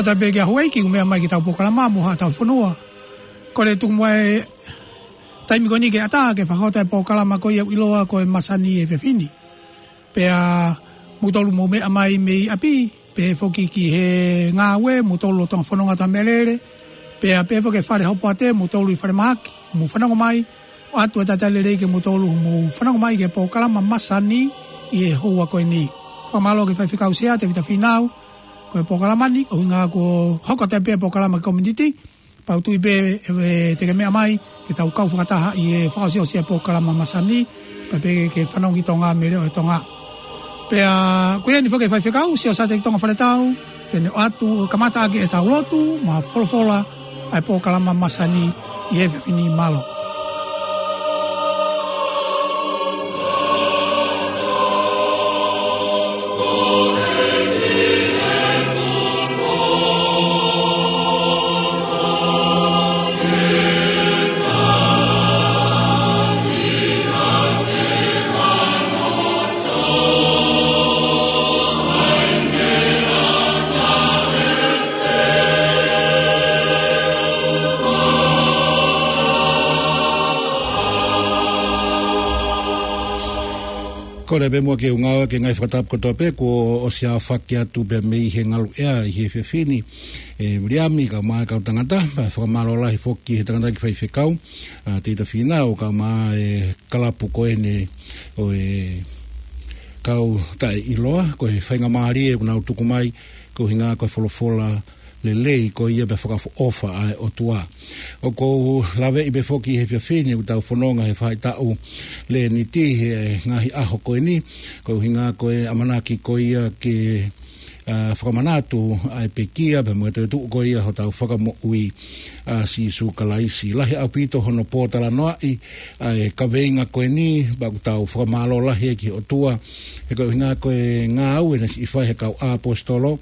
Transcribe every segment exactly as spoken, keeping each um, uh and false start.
Fakafetaʻi pē ki he houʻeiki ʻoku meʻa mai ki heʻetau polokalama mo haʻatau fonua. Kole tuku muʻa e taimi ko eni ke ʻatā ke fakahoko e polokalama ko ia ʻoku ʻiloa ko e Masani he efiafi ni. Pea mou tolu mou meʻa mai mei ʻapi, pehē foki ki he ngāue, mou tolu ʻi Tonga Fononga Tamelele, pea pehē foki ki he Fale Hopoate, mou tolu ʻi Falemahaki, mou fanongo mai, ʻoatu e talitali lelei ke mou tolu, mou fanongo mai ki he polokalama Masani ʻi he houa ko eni. Fakamālō ki he faifekau Sea Tevita Fīnau, ko e polokalama ni, ʻuhinga ko e hoko atu pē polokalama ki he community, pea ʻoku ou tui pē ʻe, ʻe te ke meʻa mai, ke tau kau fakataha ʻi he fakaʻosiʻosi e polokalama Masani, pea pehē ki he fanongo ki Tonga mei he leʻo ʻo Tonga. Pea ko ia ni foki e faifekau, Siaosi Teki Tonga Faletau, te ne ʻoatu kamataʻaki ʻetau lotu, mo e folofola, ʻa e polokalama Masani ʻi he efiafi ni. Mālō. Kole pē muʻa ke u ngāueʻaki e ngaahi fakatapu kotoa pē kuo ʻosi aofaki atu pē mei he ngaluʻea ʻi he efiafi ni. ʻE Viliami kae ʻumaʻā e kau tangata, pea fakamālō lahi foki he tangataʻeiki faifekau, ʻa Tevita Fīnau kae ʻumaʻā e kalapu ko eni ʻo e kau taʻeʻiloa, ko e faingamālie ʻoku nau tuku mai, ko e ʻuhinga ko e folofola lelei ko ia pea fakaʻofoʻofa ʻa e ʻOtua. ʻOku ou laveʻi pē foki he efiafi ni ʻoku tau fononga he faʻahitaʻu Leniti he ngaahi ʻaho ko eni, ko e ʻuhinga ko e ʻamanaki ko ia ke, ʻa, fakamanatu ʻa e pekia pea mo e toetuʻu ko ia hotau Fakamoʻui ʻa Sīsū Kalaisi. Lahi ʻaupito hono pōtalanoaʻi ʻa e kaveinga ko eni, pea ʻoku tau fakamālō lahi ki he ʻOtua, he ko e ʻuhinga ko e ngāue naʻe siʻi fai he kau ʻaposetolo,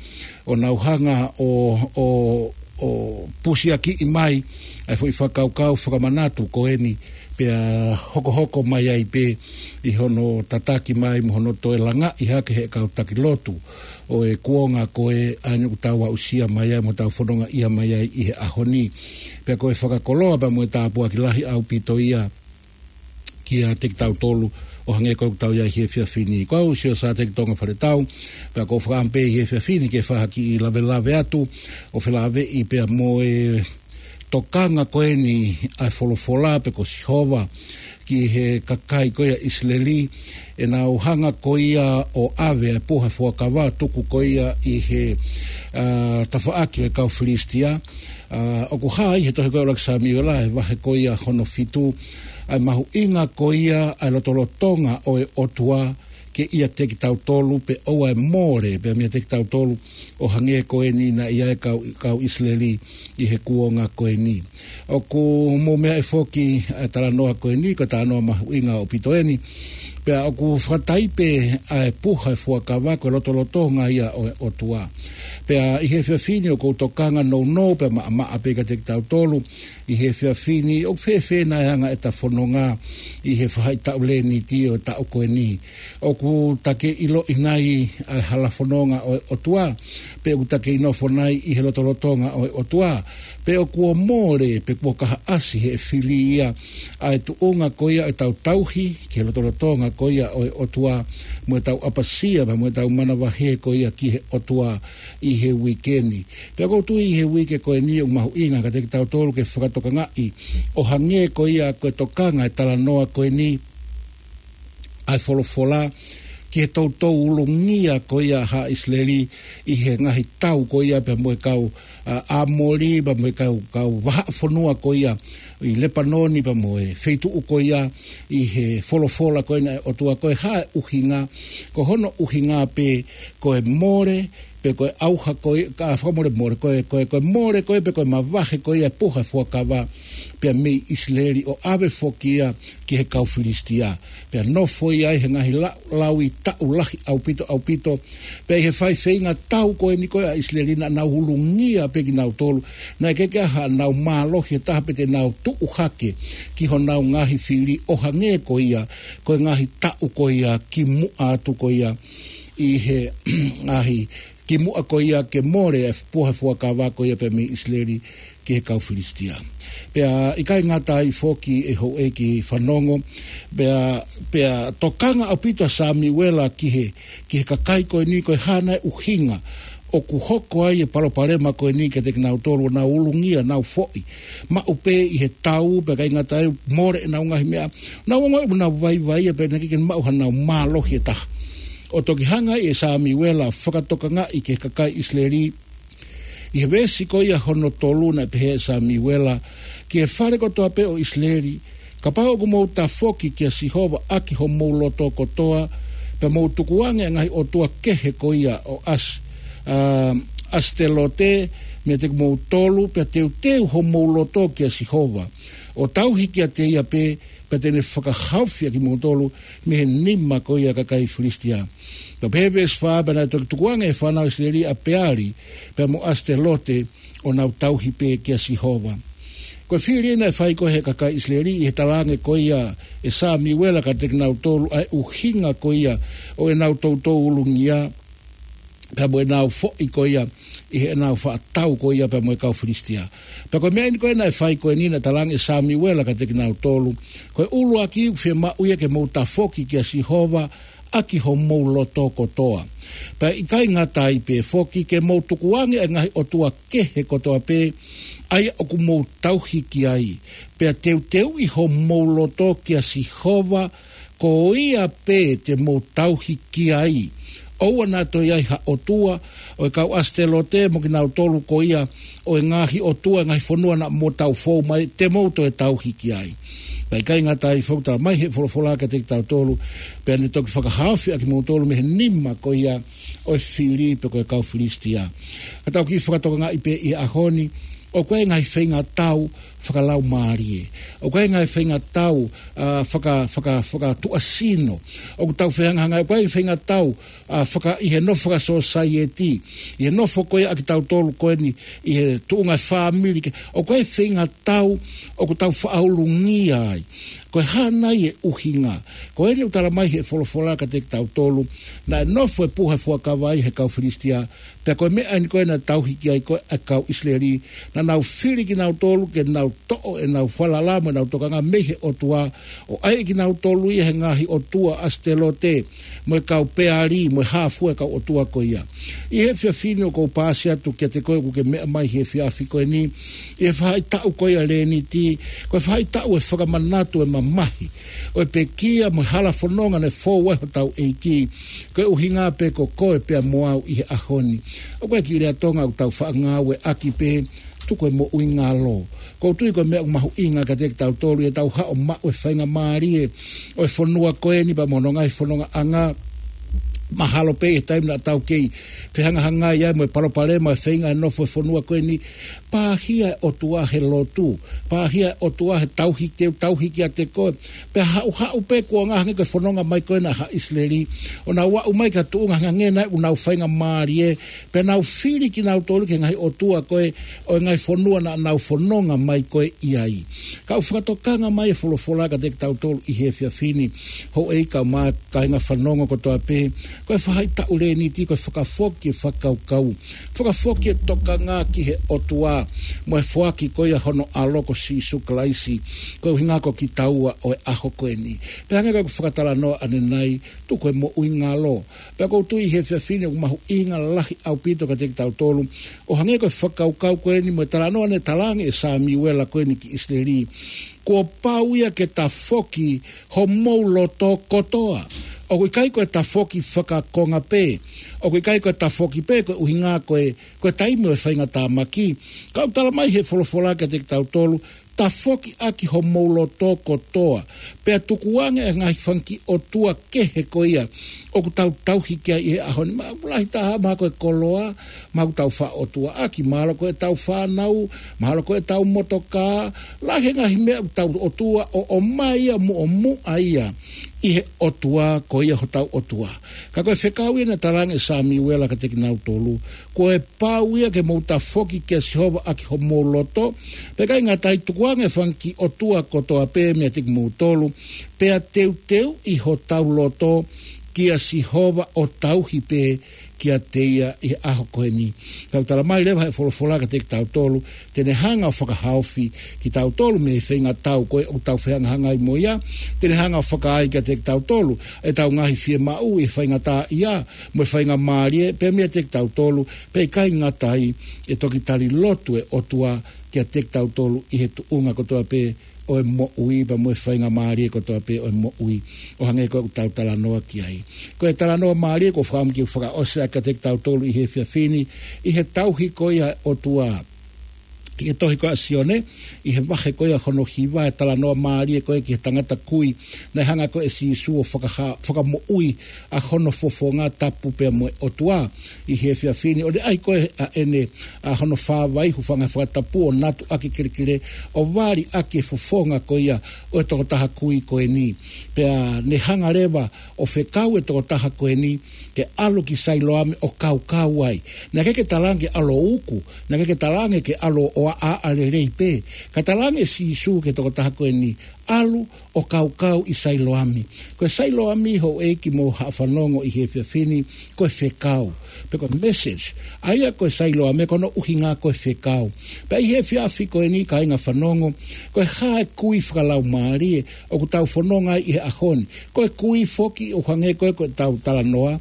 ʻo nau hanga ʻo, ʻo, ʻo pusiakiʻi mai ʻa e foʻi fakakaukau fakamanatu ko eni, pea hokohoko mai ai pē ʻi hono tataki mai mo hono toe langaʻi hake he kau taki lotu ʻo e kuonga ko ē ʻa eni ʻoku tau aʻusia mai ai mo tau fonongaʻia mai ai ʻi he ʻaho ni. Pea ko e fakakoloa pea mo e tāpuaki lahi ʻaupito ia kiate kitautolu ʻo hangē ko ʻetau ʻi ai he efiafi ni. Ko au Siaosi Teki Tonga Faletau, pea ʻoku ou fakaʻamu pē ʻi he efiafi ni ke fai ha kiʻi lavelave atu ʻo felāveʻi pea mo e tokanga ko eni ʻa e folofola pe ko Sihova ki he kakai ko ia ʻIsileli, ʻenau hanga ko ia ʻo ʻave ʻa e puha fuakava tuku ko ia ʻi he, ʻa, tafaʻaki ʻo e kau Filisitia. ʻA, ʻoku hā ʻi he tohi ko ia ʻUluaki Samiuela he vahe ko ia hono fitu, ʻa e mahuʻinga ko ia ʻa e lotolotonga ʻo e ʻOtua kiate kitautolu, pea ʻoua ʻe mole pē meiate kitautolu ʻo hangē ko eni naʻe ʻi ai e kau, kau ʻIsileli ʻi he kuonga ko eni. ʻOku mou meaʻi foki ʻa e talanoa ko eni, ko e talanoa mahuʻinga ʻaupito eni. Pea ʻoku fakataipe ʻa e puha fuakava ko e lotolotonga ia ʻo e ʻOtua. Pea ʻi he efiafi ni ʻoku ou tokanga nounou pea maʻamaʻa pē kiate kitautolu ʻi he efiafi ni, ʻoku fēfē nai e anga ʻeta fononga ʻi he faʻahitaʻu Leniti ʻo e taʻu ko eni. ʻOku ta kei ʻiloʻi nai ʻa e hala fononga ʻo e ʻOtua, pe ʻoku ta kei nofo nai ʻi he lotolotonga ʻo e ʻOtua, pe ʻoku mole, pe kuo kahaʻasi ʻe he fili ia ʻa e tuʻunga ko ia ʻetau tauhi ki he lotolotonga ko ia ʻo e ʻOtua, mo ʻetau ʻapasia, mo ʻetau manavahē ko ia ki he ʻOtua ʻi he uike ni. Pea ʻoku ou tui ʻi he uike ko eni ʻoku mahuʻinga kiate kitautolu ke fakatokangaʻi ʻo hangē ko ia ko e tokanga e talanoa ko eni ʻa e folofola ki he toutou ulungia ko ia ʻa haʻa ʻIsileli ʻi he ngaahi tau ko ia pea mo e kau, ʻa, ʻAmoli, pea mo e kau, kau vahaʻa fonua ko ia ʻi Lepanoni pea mo e feituʻu ko ia ʻi he folofola ko ena ʻa e ʻOtua. Ko e hā e ʻuhinga? Ko hono ʻuhinga pē ko e mole, pe ko e ʻauha ko ia, ka fakamolemole, ko e, ko e, ko e mole ko ia, pe ko e mavahe ko ia e puha fuakava pea mei ʻIsileli ʻo ʻave foki ia ki he kau Filisitia. Pea nofo ia ai he ngaahi lau, lauʻi taʻu lahi ʻaupito, ʻaupito. Pea ʻi he fai feingatau ko eni ko ia ʻa ʻIsileli naʻa nau ulungia pē kinautolu. Naʻe ʻikai ke ʻi ai haʻanau mālohi ʻe taha pe te nau tuʻu hake ki honau ngaahi fili ʻo hangē ko ia, ko e ngaahi taʻu ko ia kimuʻa atu ko ia ʻi he ngaahi kimuʻa ko ia ke mole e puha fuakava ko ia pea mei ʻIsileli ki he kau Filisitia. Pea ʻikai ngata ai foki ʻe houʻeiki fanongo, pea, pea tokanga ʻaupito ʻa Samiuela ki he, ki he kakai ko eni, ko e hā nai e ʻuhinga ʻoku hoko ai e palopalema ko eni kiate kinautolu, ʻo nau ulungia, nau foʻi maʻu pē ʻi he tau, pea ʻikai ngata ai mole ʻenau ngaahi meʻa, nau ongoʻi ʻoku nau vaivai, pea naʻe ʻikai ke maʻu haʻanau mālohi ʻe taha. ʻO toki hanga ʻe Samiuela ʻo fakatokangaʻi ki he kakai ʻIsileli, ʻi he veesi ko ia hono tolu naʻe pehē ʻe Samiuela ki he fale kotoa pē ʻo ʻIsileli, kapau ʻoku mou tafoki kia Sihova ʻaki homou loto kotoa, pea mou tukuange e ngaahi ʻotua kehe ko ia ʻo ʻAsi-, ʻa, ʻAsitelote meiate kimoutolu, pea teuteu homou loto kia Sihova, ʻo tauhi kiate ia pē, pea te ne fakahaofi ʻa kimoutolu mei he nima ko ia ʻa e kakai Filisitia. Pea pehē veesi fā, pea naʻe toki tukuange ʻe he fānau ʻIsileli ʻa Peali pea mo ʻAsitelote, ʻo nau tauhi pē kia Sihova. Ko e fili naʻe fai ko ē ʻe he kakai ʻIsileli ʻi he talaange ko ia ʻe Samiuela kiate kinautolu ʻa e ʻuhinga ko ia ʻo ʻenau toutou ulungia, pea mo ʻenau foʻi ko ia ʻi heʻenau faʻa tau ko ia pea mo e kau Filisitia. Pea ko e meʻa eni ko ē naʻe fai ko eni naʻe talaange ʻe Samiuela kiate kinautolu, ko e ʻuluaki ʻoku fiemaʻu ia ke mou tafoki kia Sihova ʻaki homou loto kotoa. Pea ʻikai ngata ai pē foki, ke mou tukuange e ngaahi ʻotua kehe kotoa pē ʻa ia ʻoku mou tauhi ki ai, pea teuteuʻi homou loto kia Sihova, ko ia pē te mou tauhi ki ai. ʻOua naʻa toe ʻi ai ha ʻotua ʻo e kau ʻAsitelote mo kinautolu ko ia ʻo e ngaahi ʻotua ʻo e ngaahi fonua naʻa mou tau fou mai, te mou toe tauhi ki ai. Pea ʻikai ngata ai foki, talamai ʻe he folofola kiate kitautolu, pea ne toki fakahaofi ʻa kimoutolu mei he nima ko ia ʻo e fili pe ko e kau Filisitia. Ka tau kiʻi fakatokangaʻi pē ʻi he ʻaho ni, ʻoku ʻi ai e ngaahi feingatau fakalaumālie. ʻOku ʻi ai e ngaahi feingatau, ʻa, faka-, faka-, fakatuʻasino. ʻOku tau fehangahangai, ʻoku ʻi ai e feingatau, ʻa, faka-, ʻi he nofo fakasōsaieti, ʻi he nofo ko ia ʻa kitautolu ko eni, ʻi he tuʻunga fāmili ke, ʻoku ʻi ai e feingatau ʻoku tau faʻa ulungia ai. Ko e hā nai e ʻuhinga? Ko eni ʻoku talamai ʻe he folofola kiate kitautolu, naʻe nofo e puha fuakava ʻi he kau Filisitia, pea ko e meʻa eni ko ē naʻe tauhi ki ai ko ē ʻa e kau ʻIsileli, naʻa nau fili kinautolu ke nau toʻo ʻenau falala mo ʻenau tokanga mei he ʻOtua, ʻo ʻai kinautolu ia he ngaahi ʻotua ʻAsitelote, mo e kau Peali, mo e hā fua e kau ʻotua ko ia. ʻI he efiafi ni ʻoku ou paasi atu kiate koe ʻoku ke meʻa mai he efiafi ko eni, ʻi he faʻahitaʻu ko ia Lēniti, ko e faʻahitaʻu e fakamanatu e mamahi ʻo e pekia mo e hala fononga naʻe fou ai hotau ʻEiki, ko e ʻuhinga pē ko koe pea mo au ʻi he ʻaho ni. ʻOku ʻi ai e kiʻi lea Tonga ʻoku tau faʻa ngāueʻaki pē, tuku e moʻui ngalo. ʻOku ou tui ko e meʻa ʻoku mahuʻinga kiate kitautolu ʻetau haʻu ʻo maʻu e faingamālie ʻo e fonua ko eni pea mo hono ngaahi fonongaʻanga. Mahalo pē ʻi he taimi naʻa tau kei fehangahangai ai mo e palopalema e feinga e nofo e fonua ko eni, pāhia e ʻOtua he lotu, pāhia e ʻOtua he tauhi, te u tauhi kiate koe. Pea haʻuhaʻu pē kuo ngata hangē ko e fononga mai ko ena ʻa ʻIsileli, ʻo nau aʻu mai ki ha tuʻunga hangē naʻe ʻoku nau faingamālie, pea nau fili kinautolu ki he ngaahi ʻotua ko ē ʻo e ngaahi fonua naʻa nau fononga mai ko ē ʻi ai. Ka ʻoku fakatokanga mai e folofola kiate kitautolu ʻi he efiafi ni, houʻeiki kaeʻumaʻā kāinga fanongo kotoa pē, ko e faʻahitaʻu Lēniti ko e fakafoki e fakakaukau, fakafoki e tokanga ki he ʻOtua, mo e foaki ko ia hono ʻAlo ko Sīsū Kalaisi, ko e ʻuhinga ko kitaua ʻo e ʻaho ko eni. Pea hangē ko ʻeku fakatalanoa ʻanenai, tuku e moʻui ngalo. Pea ʻoku ou tui he efiafi ni ʻoku mahuʻinga lahi ʻaupito kiate kitautolu, ʻo hangē ko e fakakaukau ko eni mo e talanoa naʻe talaange ʻe Samiuela ko eni ki ʻIsileli, kuo pau ia ke tafoki homou loto kotoa. ʻOku ʻikai ko e tafoki fakakonga pē. ʻOku ʻikai ko e tafoki pē ko e ʻuhinga ko e, ko e taimi ʻo e faingatāmaki. Ka ʻoku talamai ʻe he folofola kiate kitautolu, tafoki ʻaki homou loto kotoa, pea tukuange e ngaahi fanga kiʻi ʻotua kehe ko ia ʻoku tau tauhi ki ai ʻi he ʻaho ni. Mahalo ʻoku lahi taha, mahalo ko e koloa, mahalo ʻoku tau faʻa ʻotuaʻaki, mahalo ko ʻetau fānau, mahalo ko ʻetau motokā, lahi e ngaahi meʻa ʻoku tau ʻotua ʻo, ʻomai ia muʻomuʻa ia ʻi he ʻOtua ko ia hotau ʻOtua. Ka ko e fekau ia naʻe talaange ʻe Samiuela kiate kinautolu, ko e pau ia ke mou tafoki kia Sihova ʻaki homou loto, pea ʻikai ngata ai, tukuange e fanga kiʻi ʻotua kotoa pē meiate kimoutolu, pea teuteuʻi hotau loto kia Sihova ʻo tauhi pē kiate ia ʻi he ʻaho ko eni. Ka ʻoku talamai leva ʻe he folofola kiate kitautolu, te ne hanga ʻo fakahaofi kitautolu mei he feingatau ko ē ʻoku tau fehangahangai mo ia, te ne hanga ʻo fakaai kiate kitautolu ʻetau ngaahi fiemaʻu ʻi he faingataʻaʻia mo e faingamālie, pea meiate kitautolu, pea ʻikai ngata ai, ʻe toki tali lotu e ʻOtua kiate kitautolu ʻi he tuʻunga kotoa pē ʻo e moʻui, pea mo e faingamālie kotoa pē ʻo e moʻui, ʻo hangē ko ʻeku tau talanoa ki ai. Ko e talanoa mālie ʻoku ou fakaʻamu ke u fakaʻosi ʻaki kiate kitautolu ʻi he efiafi ni, ʻi he tauhi ko ia ʻa e ʻOtua ʻi he tohi ko ia ʻa Sione, ʻi he vahe ko ia hono hiva, e talanoa mālie ko ē ki he tangata kui naʻe hanga ko ē ʻe Sīsū ʻo fakaha-, fakamoʻui ʻa hono fofonga tapu pea mo e ʻOtua ʻi he efiafi ni. ʻO ne ʻai ko ē ʻa ʻene, ʻa hono fāvai, hūfanga he fakatapu, ʻo natu ʻaki e kelekele, ʻo vali ʻaki e fofonga ko ia ʻo e tokotaha kui ko eni. Pea ne hanga leva ʻo fekau e tokotaha ko eni ke ʻalu ki Sailoame ʻo kaukau ai. Naʻe ʻikai ke talaange ke ʻalu ʻo uku, naʻe ʻikai ke talaange ke ʻalu ʻo ʻaʻa lelei pē. Ka talaange ʻe Sīsū ki he tokotaha ko eni, ʻalu ʻo kaukau ʻi Sailoame. Ko e Sailoame, houʻeiki mo haʻa fanongo ʻi he efiafi ni, ko e fekau, pe ko e message. ʻA ia ko e Sailoame ko hono ʻuhinga ko e fekau. Pea ʻi he efiafi ko eni, kāinga fanongo, ko e hā e kui fakalaumālie ʻoku tau fononga ai ʻi he ʻaho ni? Ko e kui foki ʻo hangē ko ē ko ʻetau talanoa,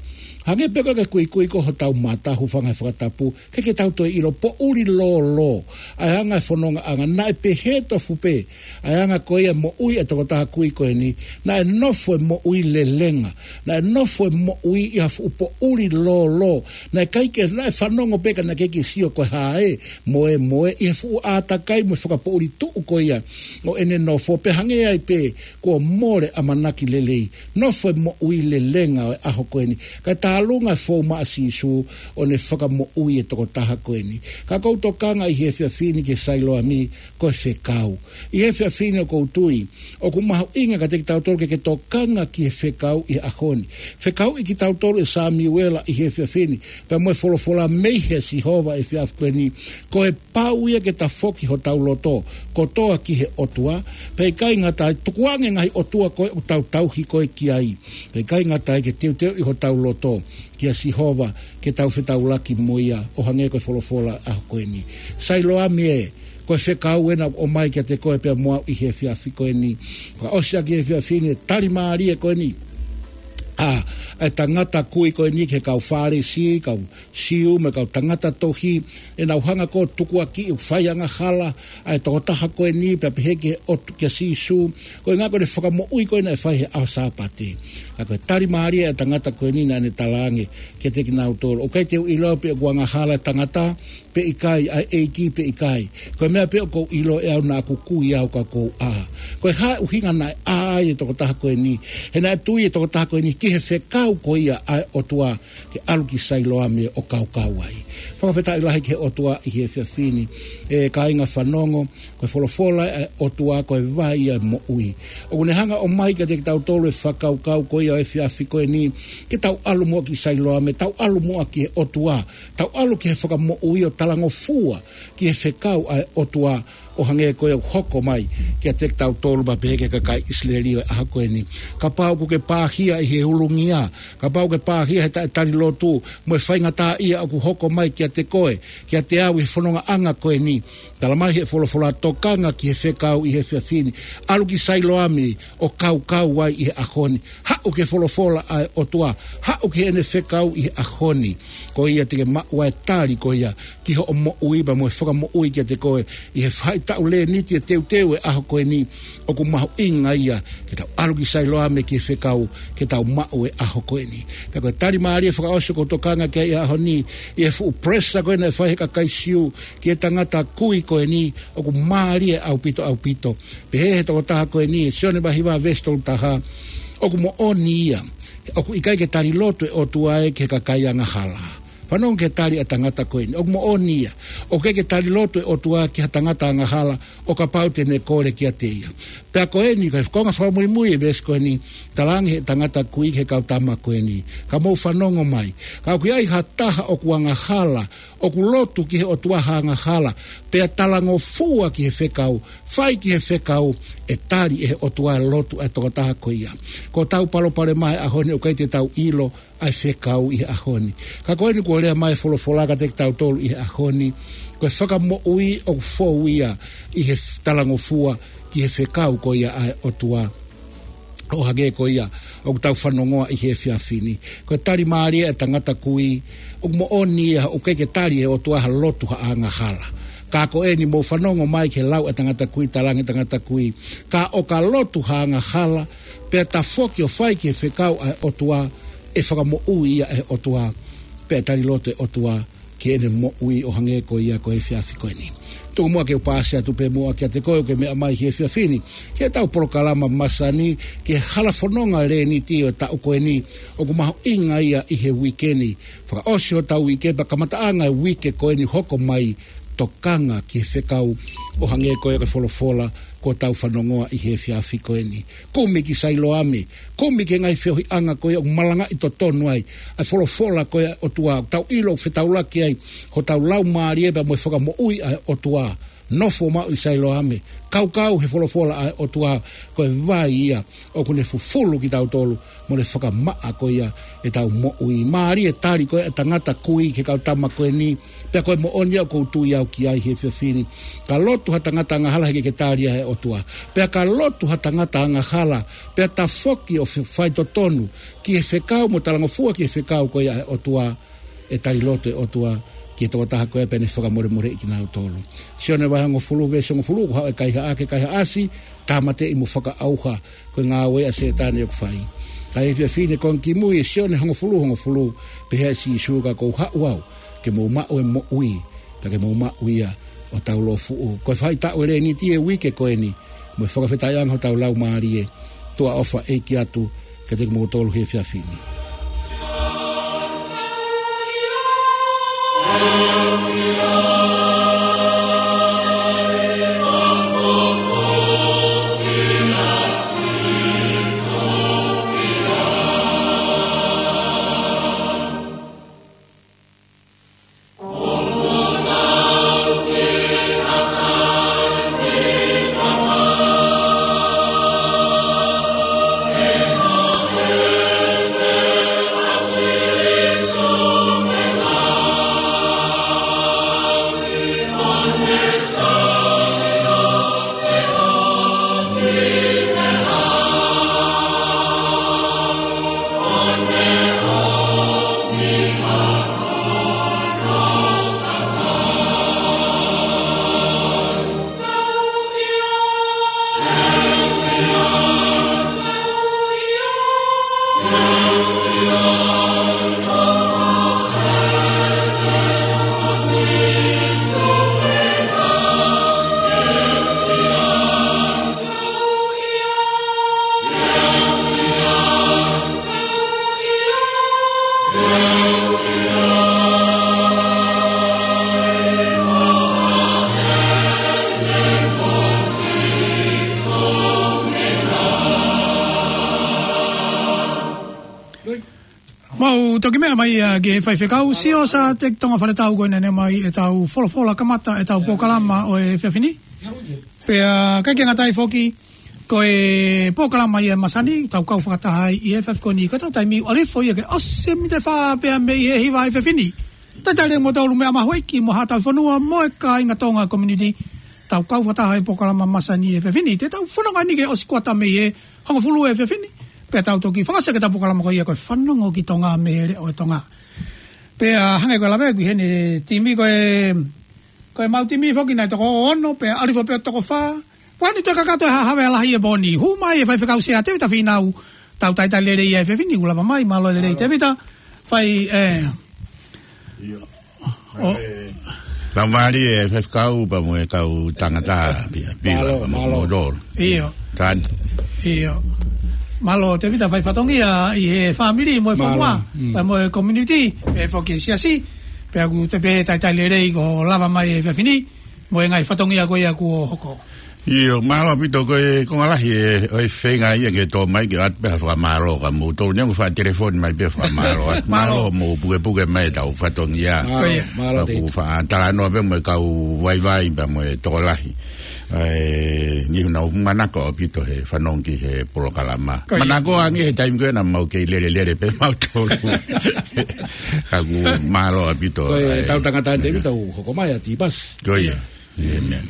hangē pē ko e kuikui ko hotau mata, hūfanga he fakatapu, ʻikai ke tau toe ʻilo, poʻuli lōlō ʻa e anga e fonongaʻanga. Naʻe pehē tofu pē ʻa e anga ko ia e moʻui ʻa e tokotaha kui ko eni. Naʻe nofo e moʻui lelenga, naʻe nofo e moʻui ʻi ha fuʻu poʻuli lōlō. Naʻe ʻikai ke, naʻe fanongo pē ka naʻe ʻikai ke sio ko e hā ē, mo e, mo e, ʻi he fuʻu ʻātakai mo e fakapoʻuli tuʻu ko ia ʻo ʻene nofo, pea hangē ai pē kuo mole ʻamanaki lelei. Nofo e moʻui lelenga ʻo e ʻaho ko eni. Kae tālunga e fou mai ʻa Sīsū ʻo ne fakamoʻui e tokotaha ko eni. Ka ʻoku ou tokanga ʻi he efiafi ni ki he Sailoame, ko e fekau. ʻI he efiafi ni ʻoku ou tui ʻoku mahuʻinga kiate kitautolu ke, ke tokanga ki he fekau ʻi he ʻaho ni. Fekauʻi kitautolu ʻe Samiuela ʻi he efiafi ni, pea mo e folofola mei he Sihova ʻi he efiafi ko eni, ko e pau ia ke tafoki hotau loto kotoa ki he ʻOtua, pea ʻikai ngata ai, tukuange e ngaahi ʻotua ko ē ʻoku tau tauhi ko ē ki ai. Pea ʻikai ngata ai, ke teuteuʻi hotau loto kia Sihova, ke tau fetaulaki mo ia, ʻo hangē ko e folofola ʻaho ko eni. Sailoame ē, ko e fekau ena ʻoku ʻomai kiate koe pea mo au ʻi he efiafi ko eni. Fakaʻosi ʻaki e efiafi ni e tali mālie ko eni ʻa e tangata kui ko eni ki he kau Fālesi, kau Siu, mo e kau tangata tohi, ʻenau hanga ko ē ʻo tukuakiʻi, ʻo fai angahala ʻa e tokotaha ko eni, pea pehē ki he ʻOtu-, kia Sīsū, ko e ʻuhinga ko ʻene fakamoʻui ko ē naʻe fai he ʻaho Sāpate. Ka ko e tali mālie ʻa e tangata ko eni naʻa ne talaange kiate kinautolu, ʻoku ʻikai te u ʻilo pe ʻoku angahala e tangata pe ʻikai, ʻa e ʻEiki pe ʻikai. Ko e meʻa pē ʻoku ou ʻilo ʻe au, naʻa ku kui au ka kuo u ʻā. Ko e hā e ʻuhinga naʻe ʻā ai e tokotaha ko eni? He naʻe tui e tokotaha ko eni ki he fekau ko ia ʻa e ʻOtua, ke ʻalu ki Sailoame ʻo kaukau ai. Fakafetaʻi lahi ki he ʻOtua ʻi he efiafi ni, ʻe kāinga fanongo, ko e folofola ʻa e ʻOtua ko e vai ʻo e moʻui. ʻOku ne hanga ʻo ʻomai kiate kitautolu e fakakaukau ko ia ʻo e efiafi ko eni, ke tau ʻalu muʻa ki Sailoame, tau ʻalu muʻa ki he ʻOtua, tau ʻalu ki he Fakamoʻui ʻo talangofua ki he fekau ʻa e ʻOtua, ʻo hangē ko ia ʻoku hoko mai kiate kitautolu, pea pehē ki he kakai ʻIsileli ʻo e ʻaho ko eni. Kapau ʻoku ke pāhia ʻi he ulungia, kapau ʻoku ke pāhia he taʻetali lotu, mo e faingataʻaʻia ʻoku hoko mai kiate koe, kiate au ʻi he fonongaʻanga ko eni, talamai ʻe he folofola, tokanga ki he fekau ʻi he efiafi ni. ʻAlu ki Sailoame ʻo kaukau ai ʻi he ʻaho ni. Haʻu ki he folofola ʻa e ʻOtua. Haʻu ki heʻene fekau ʻi he ʻaho ni. Ko ia te ke maʻu ai e tali ko ia ki hoʻo moʻui pea mo e fakamoʻui kiate koe ʻi he faʻahitaʻu lēniti e teuteu e ʻaho ko eni. ʻOku mahuʻinga ia ke tau ʻalu ki Sailoame ki he fekau ke tau maʻu e ʻaho ko eni. Pea ko e tali mālie fakaʻosi ʻoku ou tokanga ki ai he ʻaho ni, ʻi he fuʻu pressure ko ē naʻe fai ʻe he kakai Siu ki he tangata kui ko eni, ʻoku mālie ʻaupito, ʻaupito. Pehē ʻe he tokotaha ko eni, Sione vahe hiva veesi tolu taha, ʻoku moʻoni ia, ʻoku ʻikai ke tali lotu e ʻOtua ia ki he kakai angahala. Fanongo ki he tali ʻa e tangata ko eni, ʻoku moʻoni ia, ʻoku ʻikai ke tali lotu e ʻOtua ki ha tangata angahala, ʻo kapau te ne kole kiate ia. Pea ko eni, ko e konga fakamuimui e veesi ko eni, talaange ʻe he tangata kui ki he kau tama ko eni, ka mou fanongo mai. Ka ʻoku ʻi ai ha taha ʻoku angahala, ʻoku lotu ki he ʻOtua ha angahala, pea talangofua ki he fekau, fai ki he fekau, ʻe tali ʻe he ʻOtua e lotu ʻa e tokotaha ko ia. Ko ʻetau palopalema he ʻaho ni, ʻoku ʻikai te tau ʻilo ʻa e fekau ʻi he ʻaho ni. Ka ko eni kuo lea mai e folofola kiate kitautolu ʻi he ʻaho ni, ko e fakamoʻui ʻoku fou ia ʻi he talangofua ki he fekau ko ia ʻa e ʻOtua. ʻO hangē ko ia ʻoku tau fanongoa ʻi he efiafi ni. Ko e tali mālie ʻa e tangata kui, ʻoku moʻoni ia, ʻoku ʻikai ke tali ʻe he ʻOtua ha lotu ha angahala. Ka ko eni mou fanongo mai ki he lau ʻa e tangata kui, talaange ʻe he tangata kui, ka ʻo ka lotu ha angahala, pea tafoki ʻo fai ki he fekau ʻa e ʻOtua, ʻe fakamoʻui ia ʻe he ʻOtua, pea tali loto ʻe he ʻOtua ki heʻene moʻui ʻo hangē ko ia ko e efiafi ko eni. Tuku muʻa ke u paasi atu pē muʻa kiate koe ʻoku ke meʻa mai he efiafi ni, ki heʻetau polokalama masani, ki he hala fononga Leniti ʻo e taʻu ko eni, ʻoku mahuʻinga ia ʻi he uike ni. Fakaʻosi hotau uike, pea kamataʻanga e uike ko eni hoko mai, tokanga ki he fekau ʻo hangē ko ia ko e folofola kuo tau fanongoa ʻi he efiafi ko eni. Kumi ki Sailoame, kumi ki he ngaahi feohiʻanga ko ia ʻoku malangaʻi totonu ai ʻa e folofola ko ia ʻa e ʻOtua, ʻoku tau ʻilo ʻoku fetaulaki ai hotau laumālie pea mo e fakamoʻui ʻa e ʻOtua. Nofo maʻu ʻi Sailoame, kaukau he folofola ʻa e ʻOtua, ko e vai ia ʻoku ne fufulu kitautolu mo ne fakamaʻa ko ia ʻetau moʻui. Mālie e tali ko ia ʻa e tangata kui ki he kau tama ko eni, pea ko e moʻoni ia ʻoku ou tui au ki ai he efiafi ni. Ka lotu ha tangata angahala heʻikai ke tali ia ʻe he ʻOtua. Pea ka lotu ha tangata angahala, pea tafoki ʻo fe-, faitotonu ki he fekau mo e talangofua ki he fekau ko ia ʻa e ʻOtua, ʻe tali loto ʻe he ʻOtua ki he tokotaha ko ia pea ne fakamolemoleʻi kinautolu. Sione vahe hongofulu, veesi hongofulu, ko e haʻu e kaihaʻa ke kaihaʻasi, tāmateʻi mo fakaʻauha, ko e ngāue ʻa Sētane ʻoku fai. Ka ʻi he efiafi ni ko e ngaahi kimui ʻe Sione hongofulu, hongofulu, pehē ʻe Sīsū ka ʻoku ou haʻu au ke mou maʻu e moʻui, ka ke mou maʻu ia ʻo taulōfuʻu. Ko e faʻahitaʻu ʻo e Leniti e uike ko eni, mo e fakafetaʻiʻanga hotau laumālie, tuʻa ʻofa ʻeiki atu kiate kimoutolu he efiafi ni. Mau toki meʻa mai ia ki he faifekau, sio sa te tonga fale tau ko ena ne mai ʻetau folofola kamata ʻetau polokalama ʻo e efiafi ni. Pea ʻikai ke ngata ai foki, ko e polokalama ia ʻa e masani, tau kau fakataha ai ʻi he efiafi ko eni, ko ʻetau taimi ʻoku ʻalu hifo ia ke ʻosi e miniti ʻe fā pea mei he hiva ʻa e efiafi ni. Talitali mo tau lumi a mahuiki mo haʻatau fonua mo e kāinga Tonga community. Tau kau fakataha he polokalama masani he efiafi ni. Te tau fononga eni ke ʻosi kuata mei he hongofulu he efiafi ni. Pea tau toki fakaʻosi ʻaki ʻetau polokalama ko ia ko e Fanongo ki Tonga mei he Leʻo ʻo Tonga. Pea hangē ko e lave ʻaku ʻi heni, timi ko e, ko e mau timi foki naʻe toko ono, pea ʻalu hifo pē ʻo toko fā. Pea ʻoku toe kakato e hahave ʻa e lahi he pō ni. Hū mai e faifekau Sea Tevita Fīnau, tau talitali lelei he efiafi ni, ʻoku lava mai, mālō e lelei Tevita. Fai, ē. ʻIo. ʻO. Laumālie e faifekau pea mo e kau tangata pē, pē. Mālō, mālō. Mālō. ʻIo. Tan. ʻIo. Mālō Tevita, fai fatongia ʻi he fāmili mo e fonua, pea mo e community, pea foki e siasi, pea ʻoku te pē talitali lelei kuo lava mai e efiafi ni, mo e ngaahi fatongia ko ia kuo hoko. ʻIo, mālō ʻaupito, ko e konga lahi e, ʻo e feinga ia ke tō mai ke ʻoatu pē ha fakamālō kia moutolu, neongo ʻoku faʻa telefoni mai pē fakamālō atu. Mālō. Mālō hoʻomou pukepuke mai ʻetau fatongia. Mālō, mālō. Pea ʻoku ou faʻa talanoa pē mo e kau vaivai pea mo e tokolahi. ʻE, Ni naʻa ku manako ʻaupito he fanongo ki he polokalama. Ko ia. Manako ange he taimi ko ē naʻa mau kei lelelele pē mautolu. Ka ʻoku mālō ʻaupito. Ko e ʻai. Tau tangata te Ko ia. Tau hoko mai ʻa Tipasi. Ko ia. Ia, meʻa.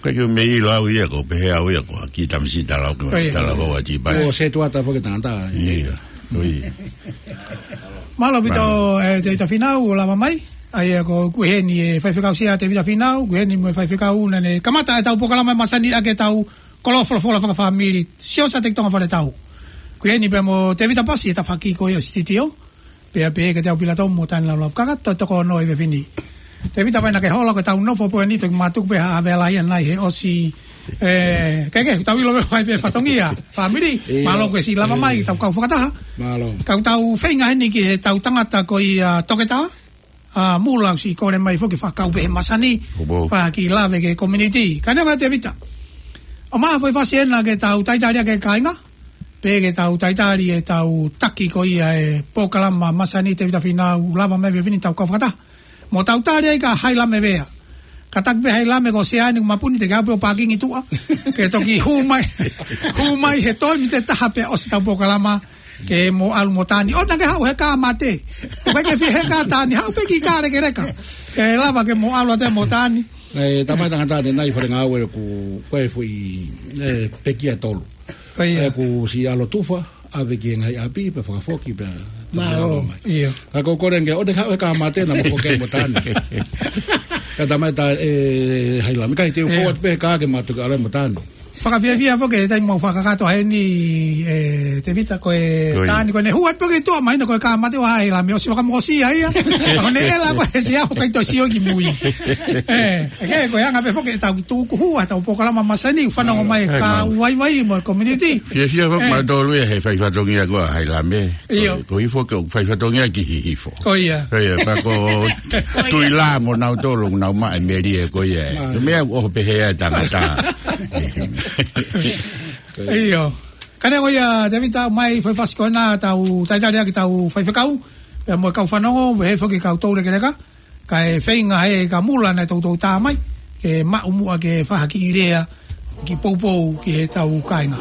Ko e kiʻi meʻa ʻilo au ia ko, pehē au ia ko, ki tamasiʻi talavou, Ko ia. Talavou ʻa Tipasi. ʻO se tuata foki tangata. Ia. Ko ia. Mālō ʻaupito, Mālō. ʻE, Tēvita Fīnau, ʻo lava mai. ʻA ia ko, ko eni ʻe Faifekau Sea Tēvita Fīnau, ko eni mo e faifekau naʻa ne kamata ʻetau polokalama ʻi he masani ʻa ʻetau kolo folofola fakafāmili, Siosa Teki Tonga Faletau. Ko eni pea mo Tēvita Pasi ʻi he tafaʻaki ko ia ʻo e sititio. Pea pehē kiate au Pilato mo Tani Laulava kakato toko ono ʻi he efiafi ni. Tēvita, vai naʻa ke hola ko ʻetau nofo pē eni, toki mātuku pē ha vela ia nai he ʻosi, ʻe, ke ke, tau ʻilo pē vai pē fatongia, fāmili, Ia. Mālō ko e siʻi lava mai, Ia. Tau kau fakataha. Mālō. Kau tau feinga heni ki heʻetau tangata ko ia toketā, ʻa Mula, siʻi kole mai foki fakakau pē he masani, Kuo pau. Fai ha kiʻi lave ki he community. Ka neongo ia Tēvita, ʻomai ha foʻi fasi ena ke tau talitali ʻaki e kāinga, pea ke tau talitali ʻetau taki ko ia e polokalama masani Tēvita Fīnau lava mai he efiafi ni tau kau fakataha. Mo tau tali ai ka Hailame Vea. Kātaki pē Hailame ko Sea ni ʻoku mapuni te ke aʻu pē ʻo pākingi tuʻa. Ke toki hū mai, hū mai he toe miniti ʻe taha pea ʻosi ʻetau polokalama. Ke mo ʻalu mo Tani. ʻOua naʻa ke haʻu he kā mate. ʻOku ʻikai ke fie he kā Tani. Haʻu pē ki kā lekeleka. Ke lava ke mo ʻalu atu mo Tani. ʻE, tamai tangata ʻanenai fale ngāue ʻoku, ko e foʻi, ʻe, pekia ʻe tolu. Ko ia. ʻE, ʻoku siʻi ʻalu ʻo tufa, ʻave ki he ngaahi ʻapi, pea fakafoki, pea Mālō. Lava mai. Ia. Ka ko e kole ange, ʻoua te ke haʻu he kā mate naʻa mo foki mo Tani. Ka tamai tā, ʻe, Hailame, ʻikai te u Ia. Forward pē kā ke ma toki ʻalu mo Tani. Fakafiefia foki, taimi mau fakakakato heni, ʻe, Tēvita ko e Ko ia. Tani ko ʻene hū atu pē ki tuʻa mai na ko e kā mate ʻo Hailame, ʻosi fakamokosia ia. Ko ʻene ʻela ko e Sea ʻoku ʻikai toe sio ki mui. ʻE, ʻe, ko e anga pē foki ʻetau kiʻi tukuhua, ʻetau polokalama masani, fanongo mai Ē, kā mālō. Vaivai mo e community. Fiefia foki Ē. Mautolu ia he fai fatongia ko ē ʻa Hailame. ʻIo. Ko, ko hifo ke fai fatongia ki Hihifo. Ko ia. Ko ia, pea ko Tuʻi Lā mo nautolu, nau maʻa e melie ko ia. Mālō. Ko e meʻa ʻoku pehē ai e tangata. ʻIo. Ka neongo ia, Tēvita, mai foʻi fasi ko ena tau talitali ʻaki ʻetau faifekau, pea mo e kau fanongo, pehē foki kau toulekeleka, kae feinga ʻe kā Mula naʻe toutou tā mai, ke maʻu muʻa ke fai ha kiʻi lea, kiʻi poupou ki heʻetau kāinga.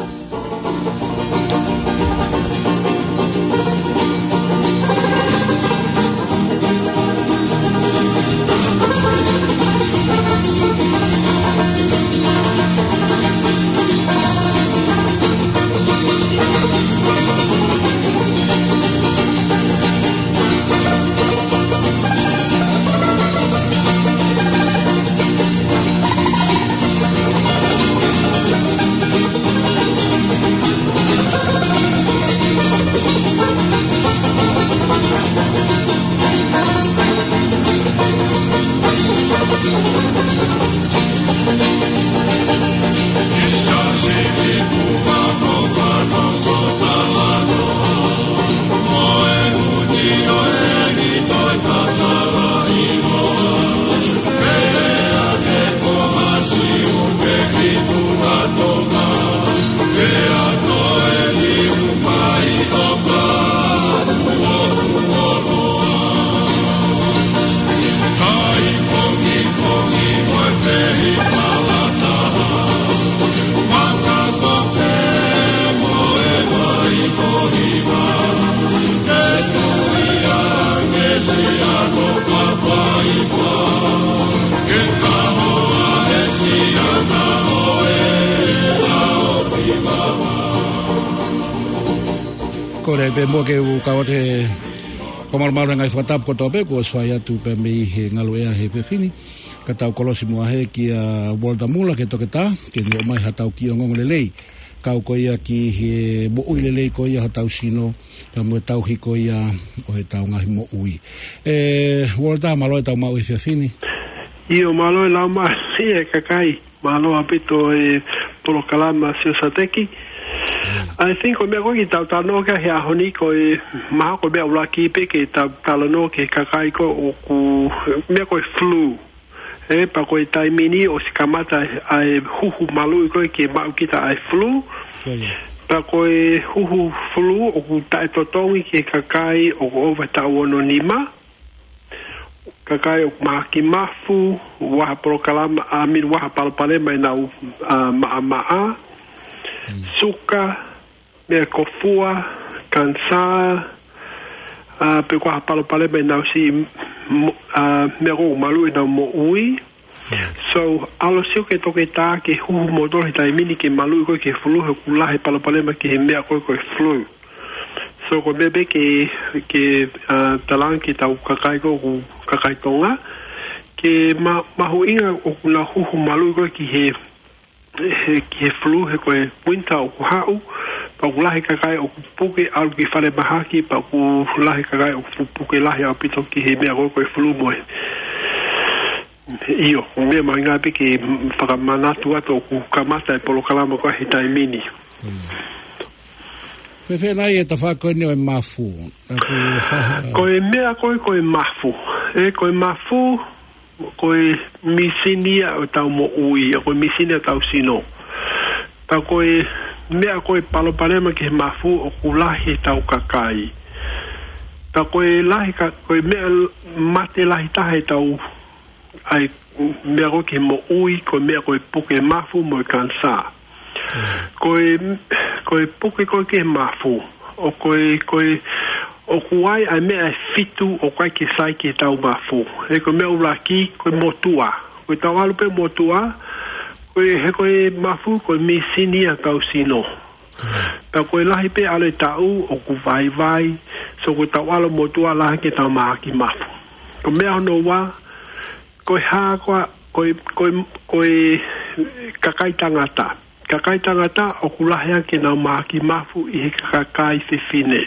Kole pē muʻa ke u kau atu he fakamalumalu he ngaahi fakatapu kotoa pē kuo ʻosi fai atu pē mei he ngaluʻea he efiafi ni. Ka tau kolosi muʻa hē kia Walter Mula ki he toketā, ke ne ʻomai haʻatau kiʻi ongoongo lelei. Kau ko ia ki he moʻui lelei ko ia hotau sino, pea mo e tauhi ko ia ʻo ʻetau ngaahi moʻui. ʻE, Walter, mālō e tau maʻu he efiafi ni. ʻIo, mālō e lau mai e kakai. Mālō ʻaupito e polokalama Siosa Teki. Mm. I think ko e meʻa ko ē ke tau talanoa ki ai he ʻaho ni ko e mahalo ko e meʻa ʻuluaki pē ke tau talanoa ki he kakai ko ē ʻoku meʻa ko e flu. ʻE, pea ko e taimi ni ʻosi kamata ʻa e huhu maluʻi ko ē ke maʻu kita ʻa e flu. Ko ia. Pea ko e huhu flu ʻoku taʻetotongi ki he kakai ʻoku ʻova taʻu ono nima. kakai ʻoku mahaki mafu, ʻoku ʻi ai ha polokalama, ʻa mini ʻoku ʻi ai ha palopalema ʻenau, ʻa, maʻamaʻa, suka, meʻa kofua, kanisā, ʻa, pe ʻoku ʻi ai ha palopalema ʻenau siʻi mo-, ʻa, meʻa ʻoku maluʻi ʻenau moʻui. So, ʻalu ʻo sio ki he toketā ke huhu moutolu he taimi ni ki he maluʻi koe ki he flu, he ʻoku lahi e palopalema ki he meʻa ko ē ko e flu. So, ko e meʻa pē ke, ke, ʻa, talaange ki heʻetau kakai ko ē ʻoku kakai Tonga, ke ma-, mahuʻinga ʻoku nau huhu maluʻi koe ki he, he, ki he flu, he ko e winter ʻoku haʻu, pea ʻoku lahi e kakai ʻoku puke ʻalu ki falemahaki, pea ʻoku lahi e kakai ʻoku pu-, puke lahi ʻaupito ki he meʻa ko ē ko e flu mo e. ʻIo, meʻa mahuʻinga pē ke fakamanatu atu ʻoku kamata e polokalama ko ē he taimi ni. Fēfē nai e tafaʻaki ko eni ʻo e mafu? ʻA, ko e faha- Ko e meʻa ko ē ko e mafu. ʻE, ko e mafu, ko e mīsini ia ʻo ʻetau moʻui, ko e mīsini ia ʻo ʻetau sino. Pea ko e meʻa ko e palopalema ki he mafu ʻoku lahi ʻetau kakai. Pea ko e lahi ka-, ko e meʻa mate lahi taha ʻetau, ʻa e meʻa ko ē ki he moʻui, ko e meʻa ko e puke mafu mo e kanisā. Ko e, ko e puke ko ē ki he mafu, ʻoku ʻi ai, ko e, ʻoku ʻi ai ʻa e meʻa ʻe fitu ʻoku ʻikai ke sai ki heʻetau mafu. He ko e meʻa ʻuluaki, ko e motuʻa. Ko ʻetau ʻalu pē motuʻa, ko e, he ko e mafu, ko e mīsini ia ʻo ʻetau sino. Pea ko e lahi pē ʻalu e taʻu ʻoku vaivai, so ko ʻetau ʻalu motuʻa lahi ange ʻetau mahaki mafu. Ko e meʻa hono ua, ko e hā koā, ko e, ko e, ko e kakai tangata. Kakai tangata ʻoku lahi ange ʻenau mahaki mafu ʻi he kakai fefine.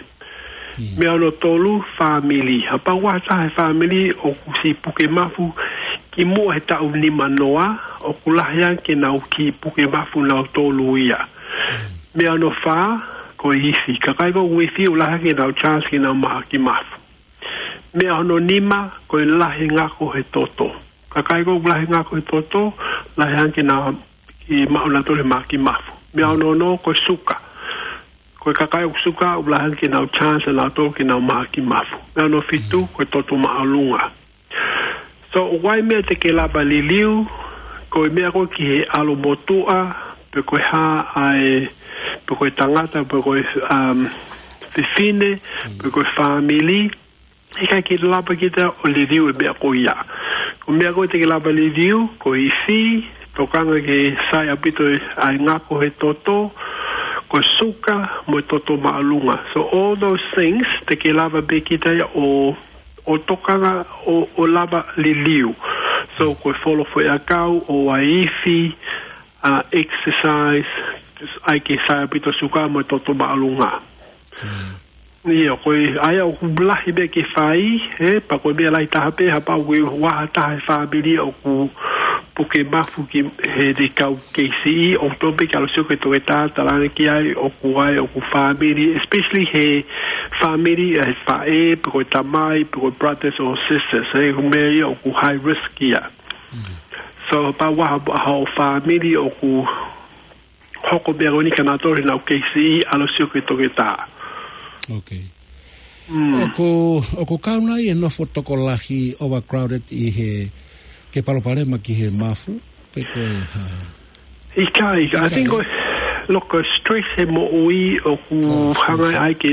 Meʻa hono tolu, fāmili. Kapau ʻoku ʻi ai ha taha he fāmili ʻoku siʻi puke mafu kimuʻa he taʻu nima noa, ʻoku lahi ange ʻenau kiʻi puke mafu nautolu ia. Meʻa hono fā, ko e ifi. Kakai ko ē ʻoku ifi ʻoku lahi ange ʻenau chance ke nau mahaki mafu. Meʻa hono nima, ko e lahi e ngako he toto. Kakai ko ē ʻoku lahi e ngako he toto, lahi ange ʻenau kiʻi maʻu nautolu he mahaki mafu. Meʻa hono ono, ko e suka. Ko e kakai ʻoku suka, ʻoku lahi ange ʻenau chance ʻanautolu ke nau mahaki mafu. Meʻa hono fitu, ko e toto māʻolunga. So, ʻoku ʻi ai e meʻa te ke lava liliu, ko e meʻa ko ē ki he ʻalu motuʻa, pe ko e hā ʻa e, pe ko e tangata, pe ko e, um, fefine, pe ko e fāmili, ʻikai ke lava kita ʻo liliu e meʻa ko ia. Ko e meʻa ko ē te ke lava liliu, ko e ifi, tokanga ke sai ʻaupito e, ʻa e ngako he toto, ko e suka, mo e toto māʻolunga. So all those things, te ke lava pē kita ia ʻo, ʻo tokanga, ʻo, ʻo lava liliu. So ko e folo foʻiʻakau, ʻoua ʻe ifi, ʻa, exercise, ʻai ke sai ʻaupito suka mo e toto māʻolunga. ʻIo, ko e, ʻa ia ʻoku lahi meʻa ke fai, ē, pea ko e meʻa lahi taha pē, kapau ʻoku ʻi ai ha taha he fāmili ʻoku puke mafu ki he, he kau K C E, ʻoku totonu pē ke ʻalu ʻo sio ki he toketā, talaange ki ai ʻoku ʻi ai, ʻoku fāmili, especially he fāmili, ʻa e faʻē, pe ko e tamai, pe ko e brothers or sisters, ē, ko e meʻa ia ʻoku high risk ia. So, kapau ʻoku ʻi ai ha, ha fāmili ʻoku hoko e meʻa ko eni kia nautolu ʻenau K C E, ʻalu ʻo sio ki he toketā. Okay. ʻOku, ʻoku kau nai e nofo tokolahi, overcrowded, ʻi he, ke palopalema ki he mafu, pe ko e hā? ʻIkai, ʻikai. I think ko e, look, ko e stress he moʻui ʻoku hanga ai ke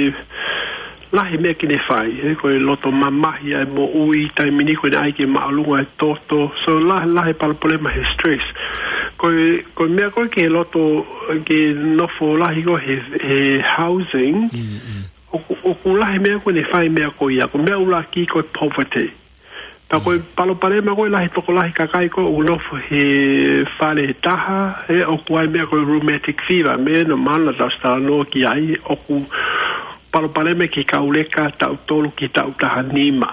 lahi meʻa ke ne fai, ē, ko e loto mamahi ʻa e moʻui, taimi ni ko eni ʻai ke māʻolunga e toto. So lahi, lahi e palopalema he stress. Ko e, ko e meʻa ko ē ke loto, ke nofo lahi ko ē he, he housing, ʻoku, ʻoku lahi meʻa ko ē ne fai meʻa ko ia. Ko e meʻa ʻuluaki ko e poverty. Pea ko e palopalema ko e lahi tokolahi kakai ko ē ʻoku nofo he fale ʻe taha, ē, ʻoku ʻi ai e meʻa ko e rheumatic fever, meʻa naʻa mou talanoa ki ai, ʻoku palopalema ki he kau leka taʻu tolu ki he taʻu taha nima.